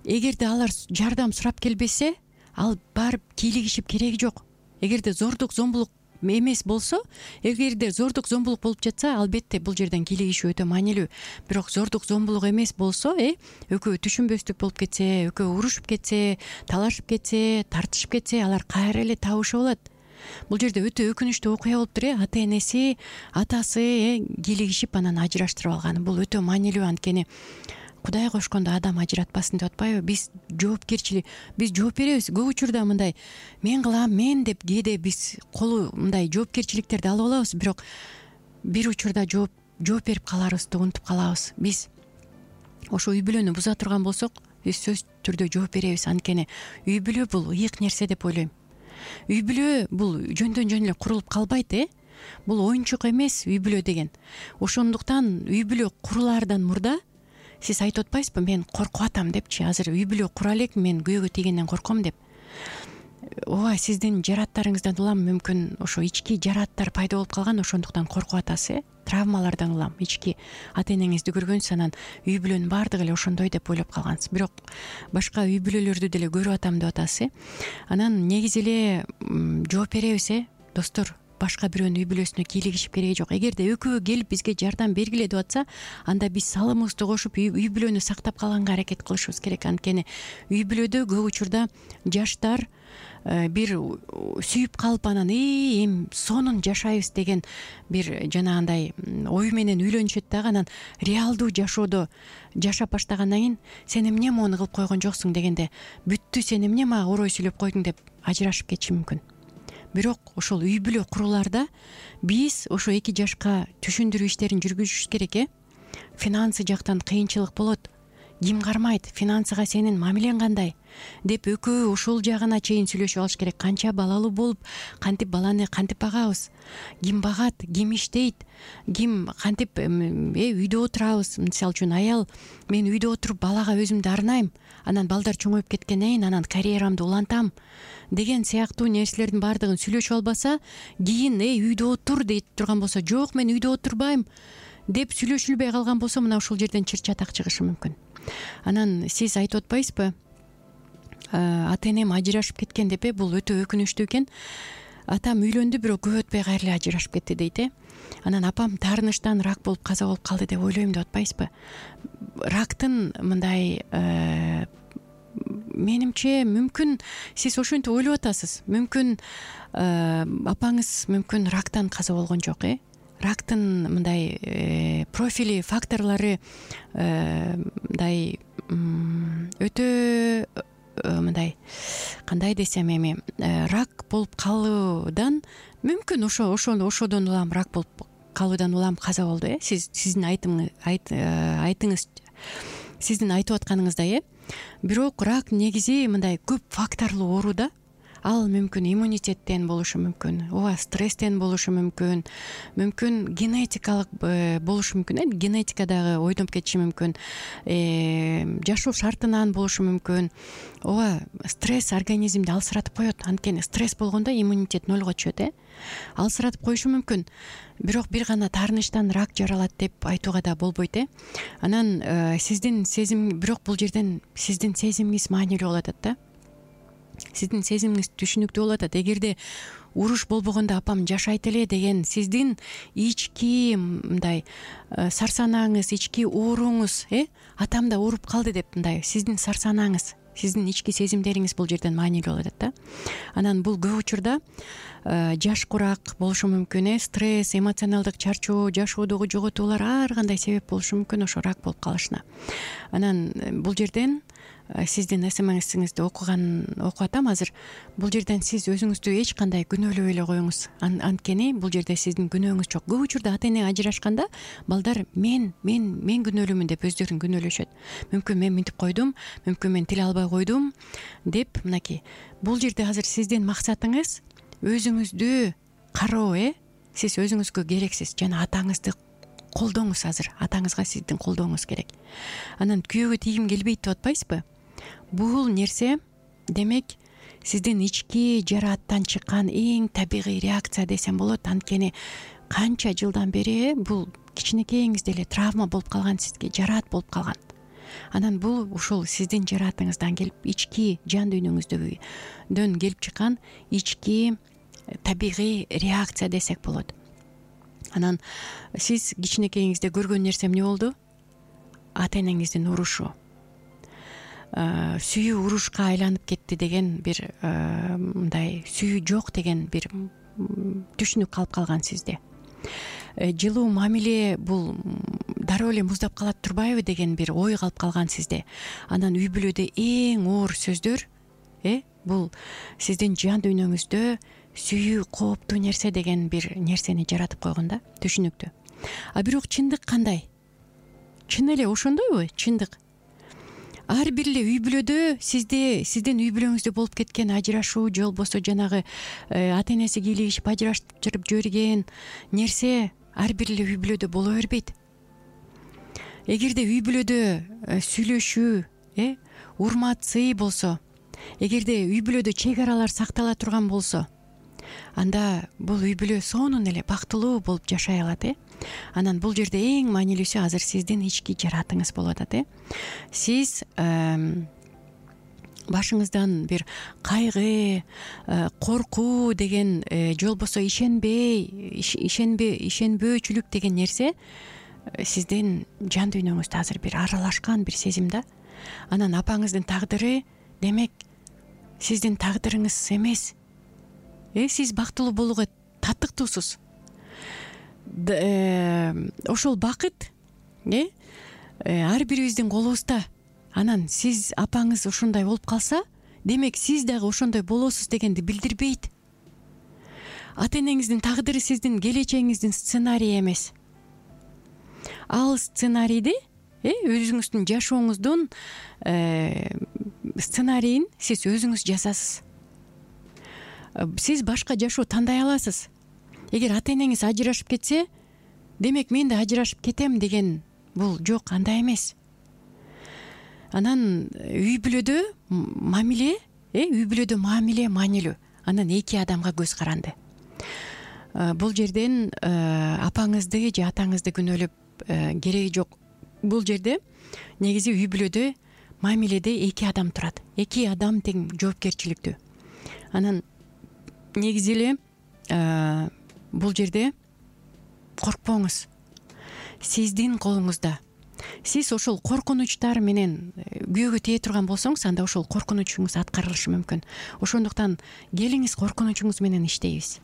эгерде алар жардам сурап келбесе, ал барып кийлигишип кереги жок. Эгерде зордук зомбулук эмес болсо, эгерде зордук зомбулук болуп жатса, албетте бул жерден кийлигишүү өтө маанилүү. Бирок зордук зомбулук эмес болсо, экөө түшүнбөстүк болуп кетсе, экөө урушуп кетсе, талашып кетсе, тартышып кетсе, алар кайра эле табышып алат. Бул жерде өтө өкүнүчтүү окуя болуптур. Ата энеси, атасы кийлигишип анан ажыраштырып алганы бул өтө маанилүү, анткени Кудай кошкондо адам ажыратпасын деп атпайбы? Биз жооп беребиз. Көп учурда мындай мен кылам, мен деп кээде биз мындай жоопкерчиликтерди алып алабыз, бирок бир учурда жооп берип каларыбызды унутуп калабыз. Биз ошо үй бүлөнү буза турган болсок, биз сөзсүз түрдө жооп беребиз. Анткени үй бүлө бул ыйык нерсе деп ойлойм. Үй бүлө бул жөндөн жөн эле курулуп калбайт, Бул оюнчук эмес үй бүлө деген. Ошондуктан үй бүлө курулаардан мурда сиз айтып атпайсызбы, мен коркуп атам депчи, азыр үй бүлө кура элекмин, мен күйөөгө тийгенден корком деп. Ооба, сиздин жарааттарыңыздан улам мүмкүн ошо ички жарааттар пайда болуп калган, ошондуктан коркуп атасыз, травмалардан улам. Ички ата энеңизди көргөнсүз, анан үй бүлөнүн баардыгы эле ошондой деп ойлоп калгансыз. Бирок башка үй бүлөлөрдү деле көрүп атам деп атасыз. Анан негизи эле жооп беребиз, достор. Башка бирөөнүн үй бүлөсүнө кийлигишип кереги жок. Эгерде экөө келип бизге жардам бергиле деп атса, анда биз салымыбызды кошуп үй бүлөнү сактап калганга аракет кылышыбыз керек. Анткени үй бүлөдө көп учурда жаштар бир сүйүп калып, анан эми сонун жашайбыз деген бир жанагындай ой менен үйлөнүшөт дагы, анан реалдуу жашоодо жашап баштагандан кийин сен эмне моуну кылып койгон жоксуң дегенде, бүттү, сен эмне мага орой сүйлөп койдуң деп ажырашып кетиши мүмкүн. Бирок ошол үй бүлө курулаарда биз ошо 2 жашка түшүндүрүү иштерин жүргүзүшүбүз керек. Финансы жактан кыйынчылык болот. Ким кармайт? Финансыга сенин мамилең кандай? Деп экөө ошол жагына чейин сүйлөшүп алыш керек. Канча балалуу болуп, кантип баланы кантип багабыз? Ким багат? Ким иштейт? Ким кантип үйдө отурабыз? Мисалы үчүн аял, мен үйдө отуруп балага өзүмдү арнайм, анан балдар чоңоюп кеткенден кийин анан карьерамды улантам деген сыяктуу нерселердин баардыгын сүйлөшүп албаса, кийин үйдө отур дейт турган болсо, жок, мен үйдө отурбайм деп сүйлөшүлбөй калган болсо, мына ушул жерден чыр чатак чыгышы мүмкүн. Анан сиз айтып атпайсызбы, ата энем ажырашып кеткен деп, бул өтө өкүнүчтүү экен. Атам үйлөндү, бирок көп өтпөй кайра эле ажырашып кетти дейт. Анан апам таарынычтан рак болуп каза болуп калды деп ойлойм деп атпайсызбы? Рактын мындай менимче мүмкүн сиз ошентип ойлоп атасыз. Мүмкүн апаңыз мүмкүн рактан каза болгон жок, Рактын мындай профили, факторлору мындай өтө мындай, кандай десем эми, рак болуп калуудан мүмкүн ошодон улам рак болуп калуудан улам каза болду. Сиздин айтыңыз сиздин айтып атканыңыздай, бирок рак негизи мындай көп факторлуу оору да. Ал мүмкүн иммунитеттен болушу мүмкүн, ооба стресстен болушу мүмкүн, генетикалык болушу мүмкүн, генетика дагы ойноп кетиши мүмкүн, жашоо шартынан болушу мүмкүн. Ооба, стресс организмди алсыратып коет. Анткени стресс болгондо иммунитет нолго түшөт, алсыратып коюшу мүмкүн. Бирок бир гана таарынычтан рак жаралат деп айтууга да болбойт. Анан сиздин сезим, бирок бул жерден сиздин сезимиңиз маанилүү болуп атат да. Сиздин сезимиңиз түшүнүктүү болуп атат. Эгерде уруш болбогондо апам жашайт эле деген сиздин ички мындай сарсанаңыз, ички ооруңуз, атам да ооруп калды деп мындай сиздин сарсанаңыз, сиздин ички сезимдериңиз бул жерден маанилүү болуп атат да. Анан бул көп учурда жаш курак болушу мүмкүн, стресс, эмоционалдык чарчоо, жашоодогу жоготуулар ар кандай себеп болушу мүмкүн ошо рак болуп калышына. Анан бул жерден сиздин СМСиңизди окуп атам азыр. Бул жерден сиз өзүңүздү эч кандай күнөөлөбөй эле коюңуз. Анткени бул жерде сиздин күнөөңүз жок. Көп учурда ата эне ажырашканда балдар мен күнөөлүүмүн деп өздөрүн күнөөлөшөт. Мүмкүн мен мынтип койдум, мүмкүн мен тил албай койдум деп мынакей. Бул жерде азыр сиздин максатыңыз өзүңүздү кароо, сиз өзүңүзгө керексиз жана атаңызды колдоңуз. Азыр атаңызга сиздин колдооңуз керек. Анан күйөөгө тийгим келбейт деп атпайсызбы? Бул нерсе демек сиздин ички жарааттан чыккан эң табигый реакция десем болот. Анткени канча жылдан бери бул кичинекейиңизде эле травма болуп калган, сизге жараат болуп калган. Анан бул ушул сиздин жараатыңыздан келип, ички жан дүйнөңүздөн келип чыккан ички табигый реакция десек болот. Анан сиз кичинекейиңизде көргөн нерсе эмне болду? Ата энеңиздин урушу. Сүйүү урушка айланып кетти деген бир мындай сүйүү жок деген бир түшүнүк калып калган сизде. Жылуу мамиле бул дароо эле муздап калат турбайбы деген бир ой калып калган сизде. Анан үй бүлөдө эң оор сөздөр бул сиздин жан дүйнөңүздө сүйүү кооптуу нерсе деген бир нерсени жаратып койгон да, түшүнүктүү. А бирок чындык кандай? Чын эле ошондойбу? Чындык ар бир эле үй бүлөдө сиздин үй бүлөңүздө болуп кеткен ажырашуу же болбосо жанагы ата энеси кийлигишип ажыраштырып жиберген нерсе ар бир эле үй бүлөдө боло бербейт. Эгерде үй бүлөдө сүйлөшүү, урмат, сый болсо, эгерде үй бүлөдө чек аралар сактала турган болсо, анда бул үй бүлө сонун эле бактылуу болуп жашай алат. Анан бул жерде эң маанилүүсү азыр сиздин ички жараатыңыз болуп атат. Сиз башыңыздан бир кайгы, коркуу деген же болбосо ишенбөөчүлүк деген нерсе сиздин жан дүйнөңүздө азыр бир аралашкан бир сезим да. Анан апаңыздын тагдыры демек сиздин тагдырыңыз эмес. Сиз бактылуу болууга татыктуусуз. Ошол бакыт ар бирибиздин колубузда. Анан сиз апаңыз ошондой болуп калса, демек сиз дагы ошондой болосуз дегенди билдирбейт. Ата энеңиздин тагдыры сиздин келечегиңиздин сценарийи эмес. Ал сценарийди, өзүңүздүн жашооңуздун сценарийин сиз өзүңүз жазасыз. Сиз башка жашоо тандай аласыз. Эгер ата энеңиз ажырашып кетсе, демек мен да ажырашып кетем деген бул жок, андай эмес. Анан үй бүлөдө мамиле маанилүү. Анан эки адамга көз каранды. Бул жерден апаңызды же атаңызды күнөөлөп кереги жок. Бул жерде негизи үй бүлөдө мамиледе эки адам турат. Эки адам тең жоопкерчиликтүү. Анан негизи эле бул жерде коркпоңуз. Сиздин колуңузда. Сиз ошол коркунучтар менен күйөөгө тие турган болсоңуз, анда ошол коркунучуңуз аткарылышы мүмкүн. Ошондуктан келиңиз коркунучуңуз менен иштейбиз.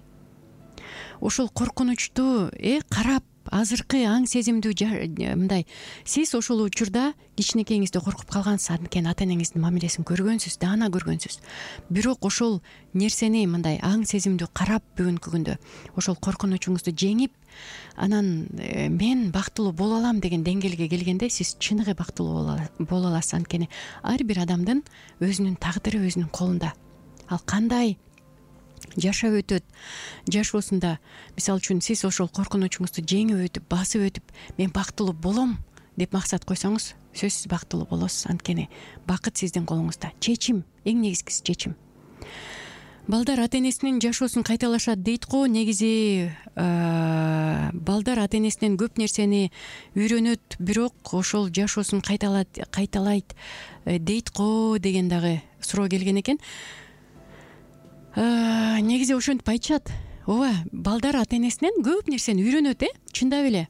Ошол коркунучту карап азыркы аң сезимдүү мындай сиз ошол учурда кичинекейиңизде коркуп калгансыз, анткени ата энеңиздин мамилесин көргөнсүз, даана көргөнсүз. Бирок ошол нерсени мындай аң сезимдүү карап бүгүнкү күндө ошол коркунучуңузду жеңип, анан мен бактылуу боло алам деген деңгээлге келгенде сиз чыныгы бактылуу боло аласыз. Анткени ар бир адамдын өзүнүн тагдыры өзүнүн колунда. Ал кандай жашап өтөт жашоосунда, мисалы үчүн сиз ошол коркунучуңузду жеңип өтүп, басып өтүп, мен бактылуу болом деп максат койсоңуз, сөзсүз бактылуу болосуз. Анткени бакыт сиздин колуңузда. Чечим, эң негизгиси чечим. Балдар ата энесинин жашоосун кайталашат дейт го. Негизи балдар ата энесинен көп нерсени үйрөнөт, бирок ошол жашоосун кайталайт дейт го деген дагы суроо келген экен. Негизи ошентип айтышат. Ооба, балдар ата энесинен көп нерсени үйрөнөт, чындап эле.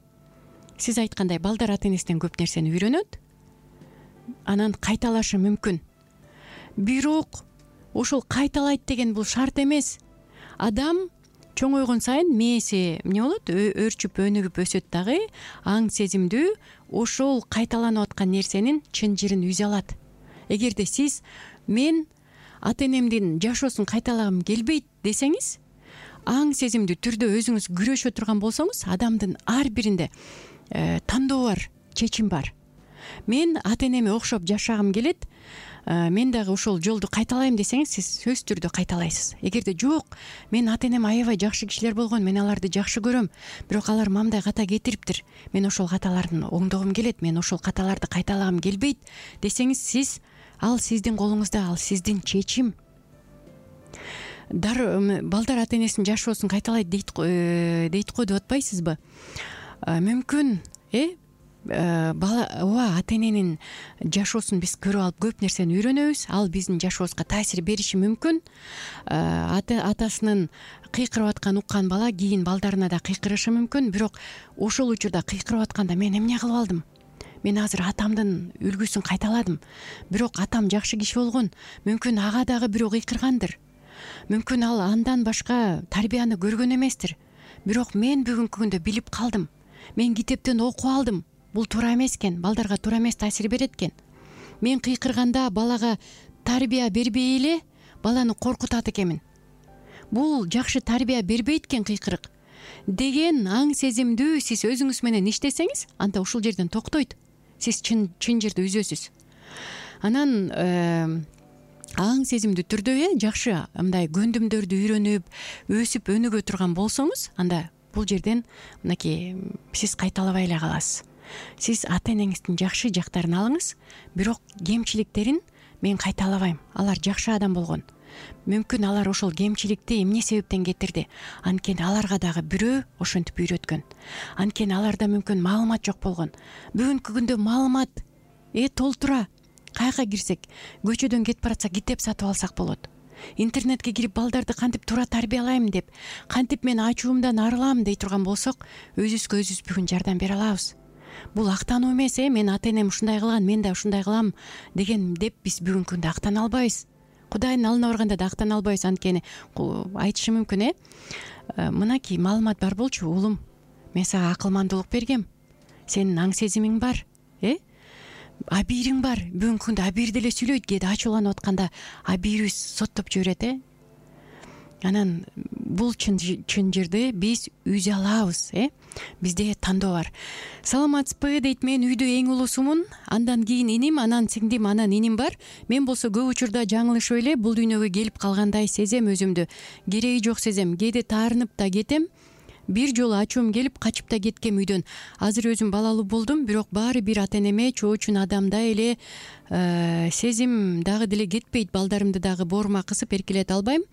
Сиз айткандай, балдар ата энесинен көп нерсени үйрөнөт, анан кайталашы мүмкүн. Бирок ошол кайталайт деген бул шарт эмес. Адам чоңойгон сайын мээси эмне болот? Өөрчүп, өнүгүп өсөт дагы, аң сезимдүү ошол кайталанып аткан нерсенин чын жырын үзе алат. Эгерде сиз мен ата энемдин жашоосун кайталагым келбейт десеңиз, аң сезимдүү түрдө өзүңүз күрөшө турган болсоңуз, адамдын ар биринде тандоо бар, чечим бар. Мен ата энеме окшоп жашагым келет, мен дагы ошол жолду кайталайм десеңиз, сиз сөзсүз түрдө кайталайсыз. Эгерде жок, мен ата энем аябай жакшы кишилер болгон, мен аларды жакшы көрөм, бирок алар мамдай ката кетириптир, мен ошол каталарын оңдогум келет, мен ошол каталарды кайталагым келбейт десеңиз, ал сиздин колуңузда, ал сиздин чечим. Балдар ата энесинин жашоосун кайталайт дейт го деп атпайсызбы? Мүмкүн, ооба, ата эненин жашоосун биз көрүп алып көп нерсени үйрөнөбүз. Ал биздин жашообузга таасир бериши мүмкүн. Атасынын кыйкырып атканын уккан бала кийин балдарына да кыйкырышы мүмкүн. Бирок ошол учурда кыйкырып атканда мен эмне кылып алдым? Мен азыр атамдын үлгүсүн кайталадым. Бирок атам жакшы киши болгон. Мүмкүн ага дагы бирөө кыйкыргандыр. Мүмкүн ал андан башка тарбияны көргөн эместир. Бирок мен бүгүнкү күндө билип калдым. Мен китептен окуп алдым. Бул туура эмес экен, балдарга туура эмес таасир берет экен. Мен кыйкырганда балага тарбия бербей эле баланы коркутат экенмин. Бул жакшы тарбия бербейт экен кыйкырык деген аң сезимдүү сиз өзүңүз менен иштесеңиз, анда ушул жерден токтойт. Сиз чын жырды үзөсүз. Анан аң сезимдүү түрдө жакшы мындай көндүмдөрдү үйрөнүп, өсүп өнүгө турган болсоңуз, анда бул жерден мынакей сиз кайталабай эле каласыз. Сиз ата энеңиздин жакшы жактарын алыңыз, бирок кемчиликтерин мен кайталабайм. Алар жакшы адам болгон. Мүмкүн алар ошол кемчиликти эмне себептен кетирди? Анткени аларга дагы бирөө ошентип үйрөткөн. Анткени аларда мүмкүн маалымат жок болгон. Бүгүнкү күндө маалымат толтура. Каяка кирсек, көчөдөн кетип баратсак китеп сатып алсак болот. Интернетке кирип балдарды кантип туура тарбиялайм деп, кантип мен ачуумдан арылам дей турган болсок, өзүбүзгө өзүбүз бүгүн жардам бере алабыз. Бул актануу эмес, мен ата энем ушундай кылган, мен да ушундай кылам деген деп биз бүгүнкү күндө актана албайбыз. Кудайдын алдына барганда да актана албайбыз. Анткени айтышы мүмкүн, мынакей маалымат бар болчу, уулум, мен сага акылмандуулук бергем. Сенин аң сезимиң бар, абийириң бар. Бүгүнкү күндө абийир деле сүйлөйт, кээде ачууланып атканда абийирибиз соттоп жиберет, Анан бул чын жырды биз үзе алабыз, Бизде тандоо бар. Саламатсызбы дейт, мен үйдө эң улуусумун, андан кийин иним, анан сиңдим, анан иним бар. Мен болсо көп учурда жаңылышып эле бул дүйнөгө келип калгандай сезем өзүмдү. Кереги жок сезем, кээде таарынып да кетем. Бир жолу ачуум келип качып да кеткем үйдөн. Азыр өзүм балалуу болдум, бирок баары бир ата энеме чоочун адамдай эле сезим дагы деле кетпейт. Балдарымды дагы боорума кысып эркелете албайм.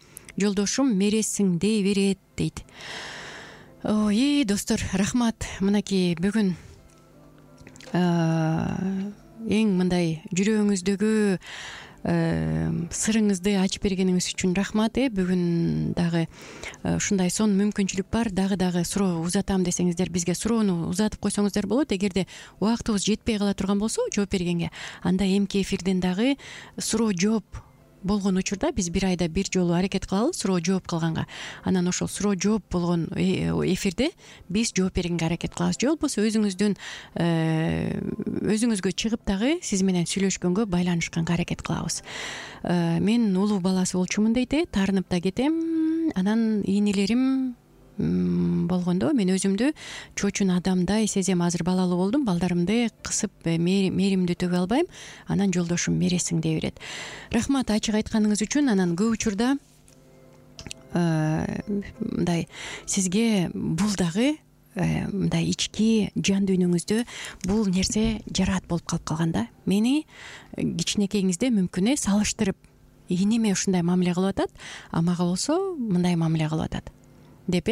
Жолдошум мерессиң дей берет дейт. Ой, достор, рахмат. Мынакей бүгүн эң мындай жүрөгүңүздөгү сырыңызды ачып бергениңиз үчүн рахмат. Бүгүн дагы ушундай сонун мүмкүнчүлүк бар. Дагы суроо узатам десеңиздер, бизге суроону узатып койсоңуздар болот. Эгерде убактыбыз жетпей кала турган болсо жооп бергенге, анда эмки эфирден дагы суроо жооп болгон учурда биз бир айда бир жолу аракет кылалы суроо жооп кылганга. Анан ошол суроо жооп болгон эфирде биз жооп бергенге аракет кылабыз. Же болбосо өзүңүзгө чыгып дагы сиз менен сүйлөшкөнгө, байланышканга аракет кылабыз. Мен улуу баласы болчумун дейт, таарынып да кетем. Анан ийнелерим болгондо мен өзүмдү чочун адамдай сезем. Азыр балалуу болдум, балдарымды кысып мээримди төгө албайм. Анан жолдошум мересиң дей берет. Рахмат ачык айтканыңыз үчүн. Анан көп учурда мындай сизге бул дагы мындай ички жан дүйнөңүздө бул нерсе жараат болуп калып калганда, мени кичинекейиңизде мүмкүн салыштырып, ийнеме ушундай мамиле кылып атат, а мага болсо мындай мамиле кылып атат деп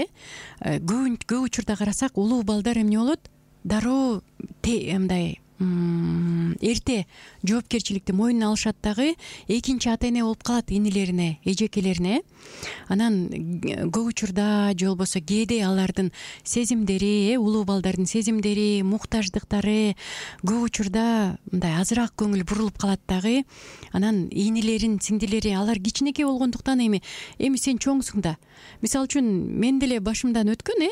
көп учурда карасак, улуу балдар эмне болот? Дароо мындай эрте жоопкерчиликти мойнуна алышат дагы, экинчи ата эне болуп калат инилерине, эжекелерине. Анан көп учурда же болбосо кээде алардын сезимдери, улуу балдардын сезимдери, муктаждыктары көп учурда мындай азыраак көңүл бурулуп калат дагы. Анан ийнелерин, сиңдилери алар кичинекей болгондуктан эми сен чоңсуң да. Мисалы үчүн мен деле башымдан өткөн,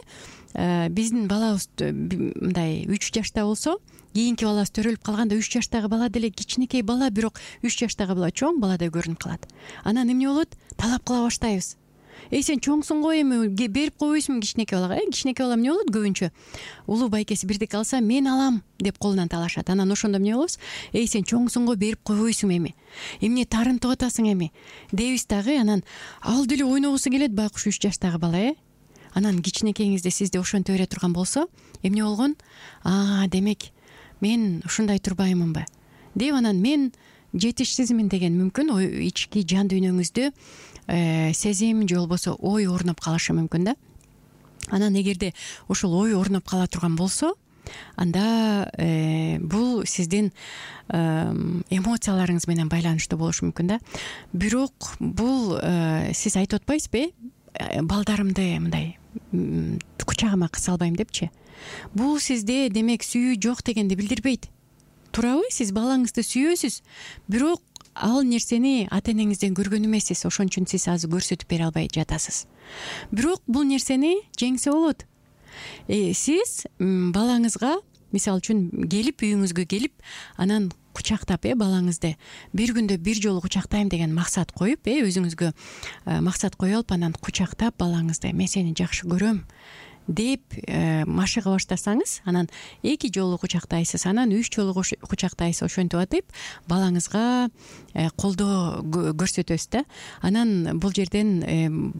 биздин балабыз мындай 3 жашта болсо, кийинки балабыз төрөлүп калганда 3 жаштагы бала деле кичинекей бала, бирок 3 жаштагы бала чоң баладай көрүнүп калат. Анан эмне болот? Талап кыла баштайбыз. Сен чоңсуң го, эми берип койбойсуңбу кичинекей балага? Кичинекей бала эмне болот? Көбүнчө улуу байкеси бирдеке алса, мен алам деп колунан талашат. Анан ошондо эмне болобуз? Сен чоңсуң го, берип койбойсуң эми. Эмне тарынтып атасың эми? Дейбиз дагы. Анан ал деле ойногусу келет, байкуш 3 жаштагы бала, Анан кичинекейиңизде сизди ошентип бере турган болсо, эмне болгон? Демек мен ушундай турбаймынбы деп, анан мен жетишсизмин деген мүмкүн ички жан дүйнөңүздө сезим же болбосо ой орноп калышы мүмкүн да. Анан эгерде ошол ой орноп кала турган болсо, анда бул сиздин эмоцияларыңыз менен байланыштуу болушу мүмкүн да. Бирок бул сиз айтып атпайсызбы, балдарымды мындай кучагыма кыса албайм депчи? Бул сизде демек сүйүү жок дегенди билдирбейт. Туурабы? Сиз балаңызды сүйөсүз, бирок ал нерсени ата энеңизден көргөн эмессиз. Ошон үчүн сиз азыр көрсөтүп бере албай жатасыз. Бирок бул нерсени жеңсе болот. Сиз балаңызга, мисалы үчүн келип, үйүңүзгө келип, анан кучактап, балаңызды бир күндө бир жолу кучактайм деген максат коюп, өзүңүзгө максат коюп алып, анан кучактап балаңызды, мен сени жакшы көрөм деп машыга баштасаңыз, анан 2 жолу кучактайсыз, анан 3 жолу кучактайсыз, ошентип атып балаңызга колдоо көрсөтөсүз да. Анан бул жерден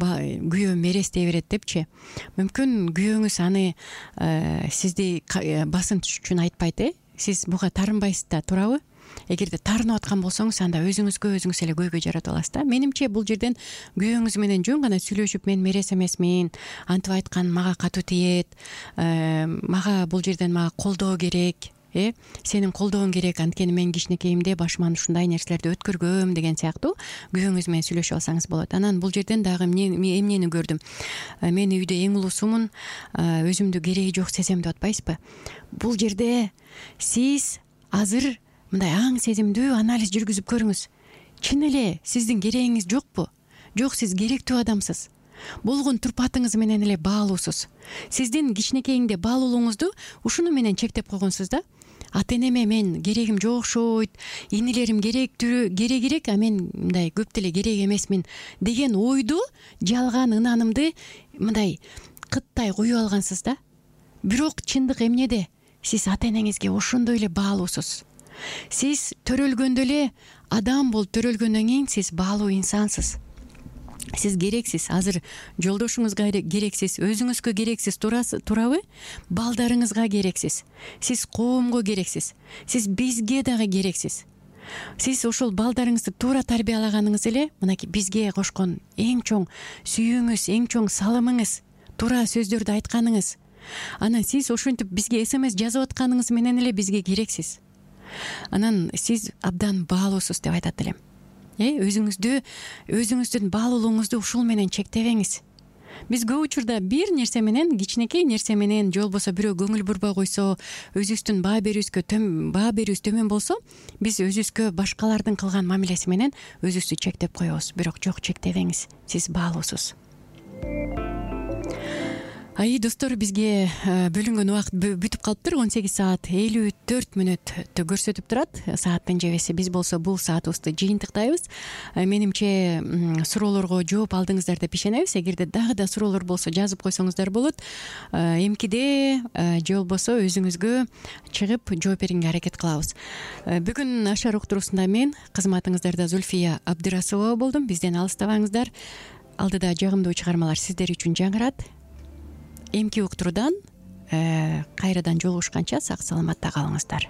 күйөөм мерестей берет депчи. Мүмкүн күйөөңүз аны сизди басынтыш үчүн айтпайт, сиз буга тарынбайсыз да, туурабы? Эгерде тарынып аткан болсоңуз, анда өзүңүз эле көйгөй жаратып аласыз да. Менимче бул жерден күйөөңүз менен жөн гана сүйлөшүп, мен мерес эмесмин, антип айткан мага катуу тиет, мага бул жерден мага колдоо керек, сенин колдооң керек, анткени мен кичинекейимде башыман ушундай нерселерди өткөргөм деген сыяктуу күйөөңүз менен сүйлөшүп алсаңыз болот. Анан бул жерден дагы эмнени көрдүм? Мен үйдө эң улуусумун, өзүмдү кереги жок сезем деп атпайсызбы? Бул жерде сиз азыр мындай аң сезимдүү анализ жүргүзүп көрүңүз. Чын эле сиздин керегиңиз жокпу? Жок, сиз керектүү адамсыз. Болгон турпатыңыз менен эле баалуусуз. Сиздин кичинекейиңде баалуулугуңузду ушуну менен чектеп койгонсуз да. Ата энеме мен керегим жок окшойт, инилерим керегирээк, а мен мындай көп деле керек эмесмин деген ойду, жалган ынанымды мындай кыттай коюп алгансыз да. Бирок чындык эмнеде? Сиз ата энеңизге ошондой эле баалуусуз. Сиз төрөлгөндө эле адам болуп төрөлгөндөн кийин сиз баалуу инсансыз. Сиз керексиз. Азыр жолдошуңузга керексиз, өзүңүзгө керексиз, туурабы? Балдарыңызга керексиз. Сиз коомго керексиз. Сиз бизге дагы керексиз. Сиз ошол балдарыңызды туура тарбиялаганыңыз эле мынакей бизге кошкон эң чоң сүйүүңүз, эң чоң салымыңыз, туура сөздөрдү айтканыңыз. Анан сиз ошентип бизге СМС жазып атканыңыз менен эле бизге керексиз. Анан сиз абдан баалуусуз деп айтат элем. Өзүңүздүн баалуулугуңузду ушул менен чектебеңиз. биз көп учурда бир нерсе менен, кичинекей нерсе менен же болбосо бирөө көңүл бурбай койсо, өзүбүздүн баа берүүбүз төмөн болсо, биз өзүбүзгө башкалардын кылган мамилеси менен өзүбүздү чектеп коебуз. Бирок жок, чектебеңиз, сиз баалуусуз. Достор, бизге бөлүнгөн убакыт бүтүп калыптыр. 18 саат 54 мүнөттү көрсөтүп турат сааттын жебеси. Биз болсо бул саатыбызды жыйынтыктайбыз. Менимче суроолорго жооп алдыңыздар деп ишенебиз. Эгерде дагы да суроолор болсо жазып койсоңуздар болот. Эмкиде же болбосо өзүңүзгө чыгып жооп берүүгө аракет кылабыз. Бүгүн Ашар уктуруусунда мен, кызматыңыздарда Зульфия Абдырасулова болдум. Бизден алыстабаңыздар. Алдыда жагымдуу чыгармалар сиздер үчүн жаңырат. Эмки уктуруудан кайрадан жолугушканча сак саламатта калыңыздар.